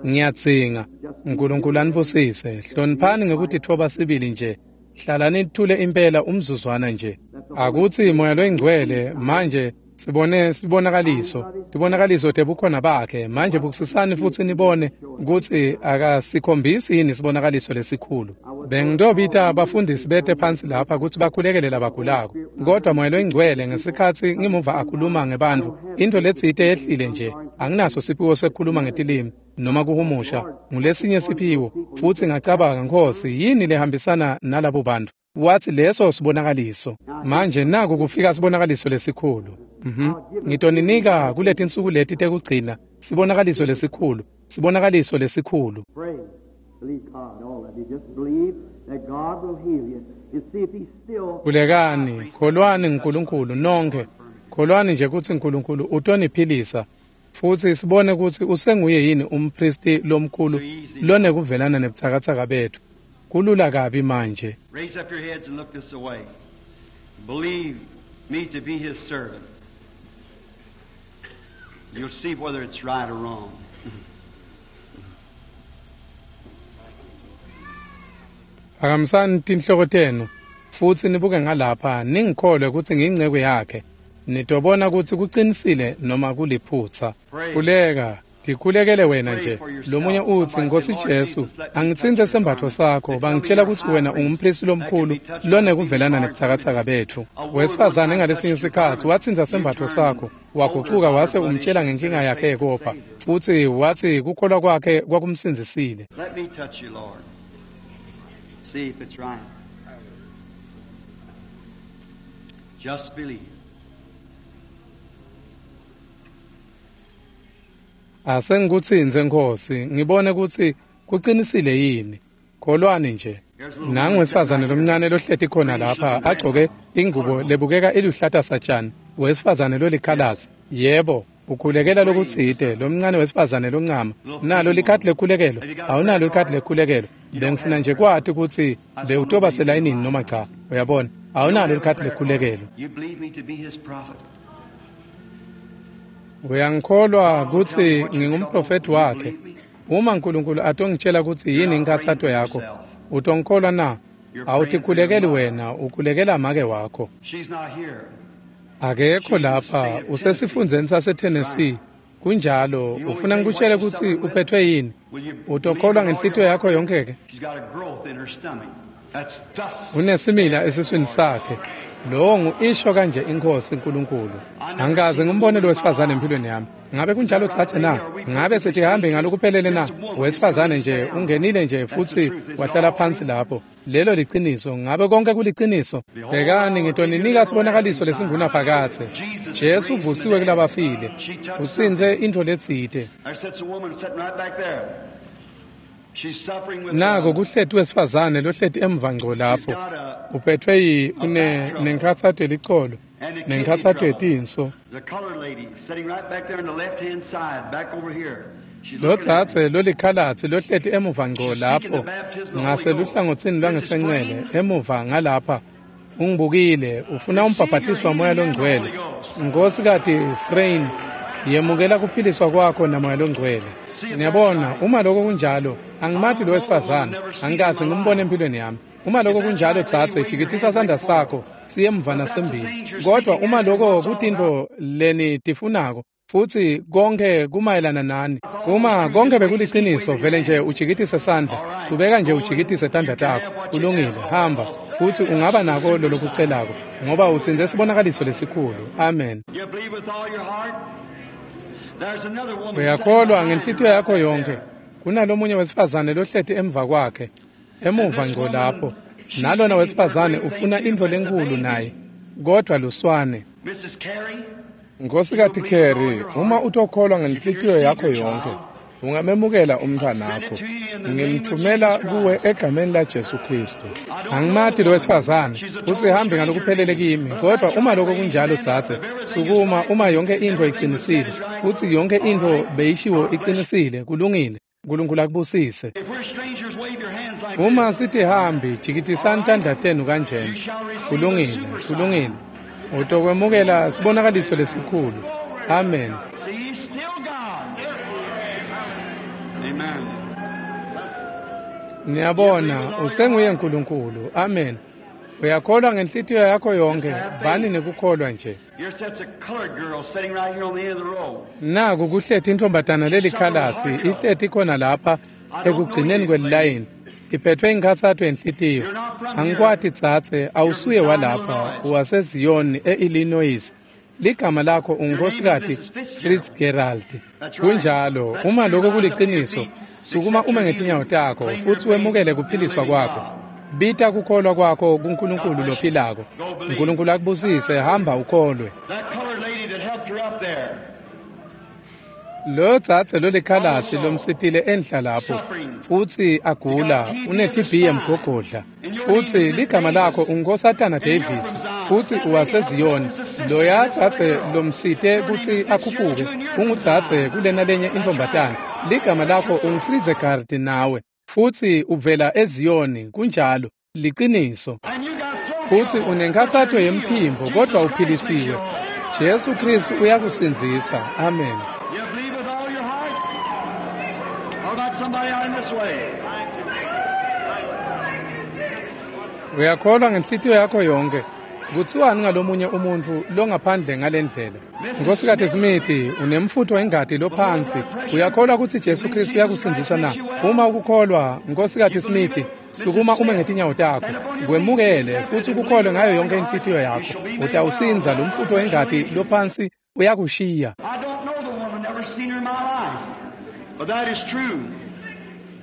Ngiyadzinga. Nkulunkulu anibusise. Hloniphani ngekutitfoba sibili nje. Hlalani nithule impela umzuzwana nje. Akutsi Moya loyiNgcwele manje sibone sibonakaliso. Tibonakaliso tebukhona bakhe. Manje bukisisani futsi nibone kutsi akasikhombisi yini sibonakaliso lesikhulu. Bengitobita abafundisi bete phansi lapha kutsi bakhulekele labagulako. Kodwa Moya loyiNgcwele ngesikhatsi ngimuva akhuluma ngebantfu, intfo letsite yehlile nje. Anginaso siphiwo sekukhuluma ngetilimi noma kuhumusha. Ngulesinye siphiwo. Futsi ngacabanga, Nkhosi, yini lehambisana nalabo bantfu? Watsi leso sibonakaliso. Manje naku kufika sibonakaliso lesikhulu. Mhm. Ngitoninika kuletinsuku leti tekugcina sibonakaliso lesikhulu. Sibonakaliso lesikhulu. Khulekani, kholwani uNkulunkulu nonke. Kholwani nje kutsi uNkulunkulu utoniphilisa. Futsi sibone kutsi usenguye yini umpristi lomkhulu lonekuvelana nebutsakatsaka betfu. Kulula kabi manje. Raise up your heads and look this way. Believe me to be his servant. You'll see whether it's right or wrong. Phakamisani tinhloko tenu futsi nibuke ngalapha, ningikholwe kutsi ngiyinceku yakhe. Nitobona kutsi kucinisile noma kuliphutsa. Khuleka, tikhulekele wena nje. Lomunye utsi, Nkhosi Jesu, angitsintse sembatfo sakho. Bangitshela kutsi wena ungumpristi lomkhulu lonekuvelana nebutsakatsaka betfu. Wesifazane ngalesinye sikhatsi watsintsa sembatfo sakho, wagucuka wase umtshela ngenkinga yakhe yekopha, futsi watsi kukholwa kwakhe kwakumsindzisile. Let me touch you, Lord. See if it's right. Just believe. Asengikutsintse Nkhosi, ngibone kutsi kucinisile yini. Kholwani nje. Nangu wesifazane lomncane lohleti khona lapha agcoke ingubo lebukeka iluhlata satjani, wesifazane lolikhalatsi. Yebo, ukhulekela lokutsite, lomncane wesifazane loncama. Nalo likhadi lekhulekelo? Awunalo likhadi lekhulekelo? Bengifuna nje kwati kutsi bewutoba selayinini noma cha. Uyabona, awunalo likhadi lekhulekelo. You believe me to be his prophet? Uyangikholwa kutsi ngingumprofethi wakhe? Uma uNkulunkulu atongitshela kutsi yini inkhatsato yakho, utongikholwa na? Awutikhulekeli wena, ukhulekela make wakho. She's not here. Akekho lapha, usesifundzeni saseTennessee. Kunjalo, ufuna ngikutshele kutsi uphethwe yini? Utokholwa ngenhlitiyo yakho yonke ke? She's got a growth in her stomach. That's thus. Unesimila esiswini sakhe. Lowo ngu-isho kanje iNkhosi uNkulunkulu. Angikaze ngimbone lo wesifazane empilweni yami. Ngabe kunjalo tsatse na? Ngabe setihambe ngalokuphelele na? Wesifazane nje ungenile nje futsi wahlala phansi lapho. Lelo liciniso. Ngabe konke kuliciniso? Bhekani, ngitoninika sibonakaliso lesingunaphakadze. Jesu uvusiwe kulabafile. Utsintse intfo letsite. There sits a woman sitting right back there. She's suffering with Nako kuhleti wesifazane lohleti emva ngco lapho. Uphethwe yi une nenkhatsato yelicolo, nenkhatsato yetinso. The colored lady sitting right back there on the left-hand side, back over here. She's looking at Lodzadze lolikhalatsi lohleti emuva ngco lapho ngaseluhlangotsini lwangesencele emuva ngalapha ungibukile, ufuna umbhabhatiswa Moya loNgcwele. Nkhosikati Frayne, yemukela kuphiliswa kwakho naMoya loNgcwele. Niyabona, uma lokho kunjalo, angimati lo wesifazane, angikaze ngimbone empilweni yami. Uma lokho kunjalo dzadze, jikitisa sandla sakho siye emva nasembili. Kodwa uma lokho kutintfo lenitifunako futsi konke kumayelana nani, uma konke bekuliciniso, vele nje ujikitise sandla, kubeka nje ujikitise tandla takho. Kulungile, hamba futsi ungaba nako lolokucelako, ngoba utsintse sibonakaliso lesikhulu. Amen. You believe with all your heart? There's another woman Uyakholwa sitting ngenhlitiyo yakho yonke. Kunalomunye wesifazane lohleti emva kwakhe, emuva ngco lapho. Nalona wesifazane ufuna intfo lenkhulu naye, kodvwa luswane. Nkhosikati Carey, uma utokholwa ngenhlitiyo yakho yonkhe, ungamemukela umntfwanakho. Ngimthumela kuwe egameni laJesu Khristu. Angimati lo wesifazane, usihambi ngalokuphelele kimi, kodwa uma lokho kunjalo dzadze, sukuma uma yonke intfo icinisile, futsi yonke intfo beyishiwo icinisile, kulungile. Nkulunkulu akubusise. Uma sitihambi, jikitisani tandla tenu kanjena. Kulungile, kulungile. Utokwemukela sibonakaliso lesikhulu. Amen. Niyabona, usenguye Nkulunkulu. Amen. Uyakholwa ngenhlitiyo yakho yonke, bani nekukholwa nje. Naku kuhleti intombatana lelikhalatsi, ihleti khona lapha ekugcineni kwelilayini. Iphethwe inkhatsato yenhlitiyo. Angikwati dzadze, awusuye walapha, waseZion e-Illinois. Ligama lakho ungunkhosikati Fitzgerald. Kunjalo, uma lokho kuliciniso, sukuma ume ngetinyawo takho futsi wemukele kuphiliswa kwakho. Bita kukholwa kwakho kuNkulunkulu lophilako. Nkulunkulu akubusise, hamba ukholwe. Lo dzadze lolikhalatsi lomsitile enhla lapho futsi agula, une-T B yemgogodla, futsi ligama lakho unguNkosatana Davis, futsi uwaseZion. Loya dzadze lomsite kutsi akhuphuke ungudzadze kulena lenye intfombatana, ligama lakho unguFritzegard nawe, futsi uvela eZion. Kunjalo, liciniso. Futsi unenkhatsato yemphimbo, kodvwa uphilisiwe. Jesu Khristu uyakusindzisa. Amen. Uyakholwa ngenhlitiyo yakho yonke. Kutsiwani ngalomunye umuntfu longaphandle ngalendlela? Nkhosikati Smith, unemfutfo wengati lophansi. Uyakholwa kutsi Jesu Khristu uyakusindzisa na? Uma ukukholwa, Nkhosikati Smith, sukuma ume ngetinyawo takho. Kwemukele futsi ukukholwe ngayo yonke inhlitiyo yakho. Utawusindza, lo mfutfo wengati lophansi uyakushiya.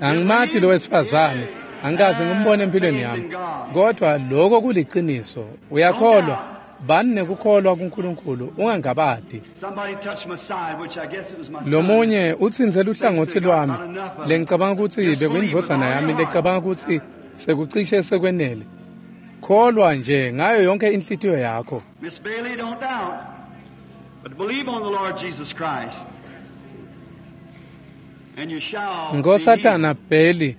Angimati lo wesifazane, angikaze ngimbone empilweni yami, kodwa lokho kuliciniso. Uyakholwa, bani nekukholwa kuNkulunkulu, ungangabadi. Lomunye utsintse luhlangotsi lwami, lengicabanga kutsi bekuyindvodzana yami lecabanga kutsi sekucishe sekwenele. Kholwa nje ngayo yonke inhlitiyo yakho. Miss Bailey, don't doubt, but believe on the Lord Jesus Christ. Nkosatana Bheli,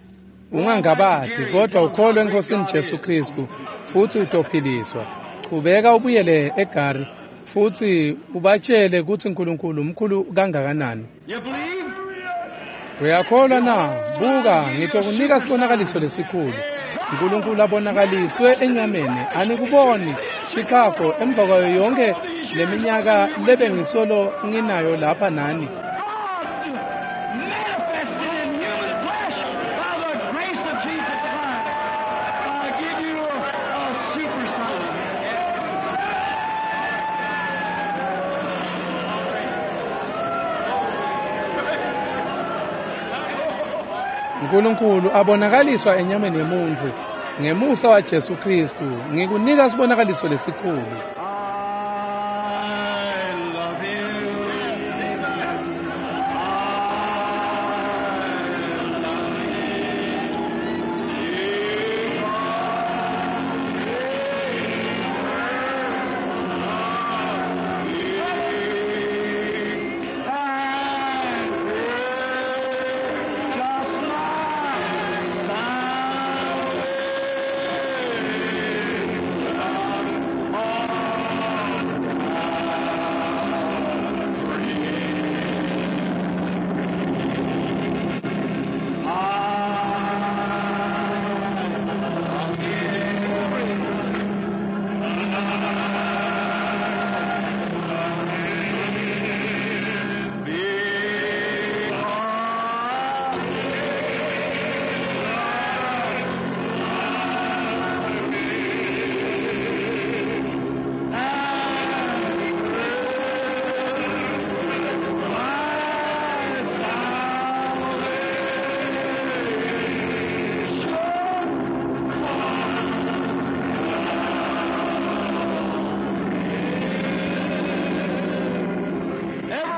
ungangabadi, kodwa ukholwe eNkosini Jesu Khristu futsi utophiliswa. Chubeka ubuyele eGari futsi ubatshele kutsi Nkulunkulu mkhulu kangakanani. Uyakholwa na? Buka, ngitokunika sibonakaliso lesikhulu. Nkulunkulu abonakaliswe enyameni. Anikuboni Chicago emva kwayo yonke leminyaka lebengisolo nginayo lapha nani. Nkulunkulu abonakaliswa enyameni yemuntfu ngemusa waJesu Khristu, ngikunika sibonakaliso lesikhulu.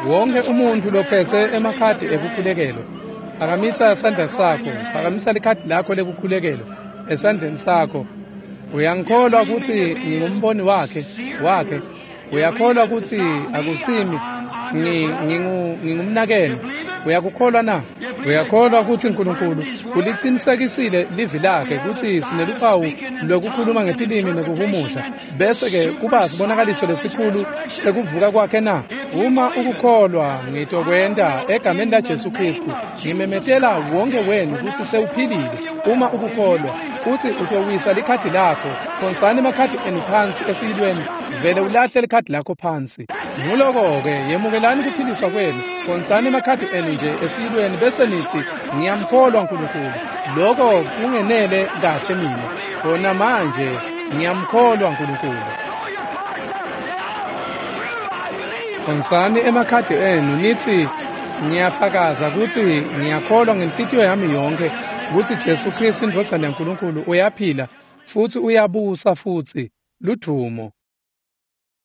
Wonke umuntu lophetse emakhadi ekukhulekelwa, phakamisa sandla sakho, phakamisa likhadi lakho lekukhulekelwa esandleni sakho. Uyangikholwa ukuthi ngingumboni wakhe wakhe? Uyakholwa ukuthi akusimi ngingu ngingumnakenu? Uyakukholwa na? Uyakholwa ukuthi uNkulunkulu uliqinisekisile livi lakhe ukuthi sineluphawu lwekukhuluma ngetilimi nekuhumusha, bese-ke kuba sibonakaliso lesikhulu sekuvuka kwakhe na? Uma ukukholwa, ngitokwenta egameni laJesu Kristu. Ngimemetela wonke wenu ukuthi sewuphilile. Uma ukukholwa futhi utowisa likhadi lakho, phonsani emakhadi enu phansi esiyilweni, vele ulahle likhadi lakho phansi. Nguloko-ke, yemukelani kuphiliswa kwenu, phonsani emakhadi enu nje esiyilweni bese nithi, ngiyamkholwa uNkulunkulu. Lokho kungenele kahle mina. Khona manje ngiyamkholwa uNkulunkulu. Phonsani emakhadi enu nithi, ngiyafakaza ukuthi ngiyakholwa ngenhlitiyo yami yonke ukuthi Jesu Kristu indvodzana yaNkulunkulu uyaphila futhi uyabusa futhi. Ludumo.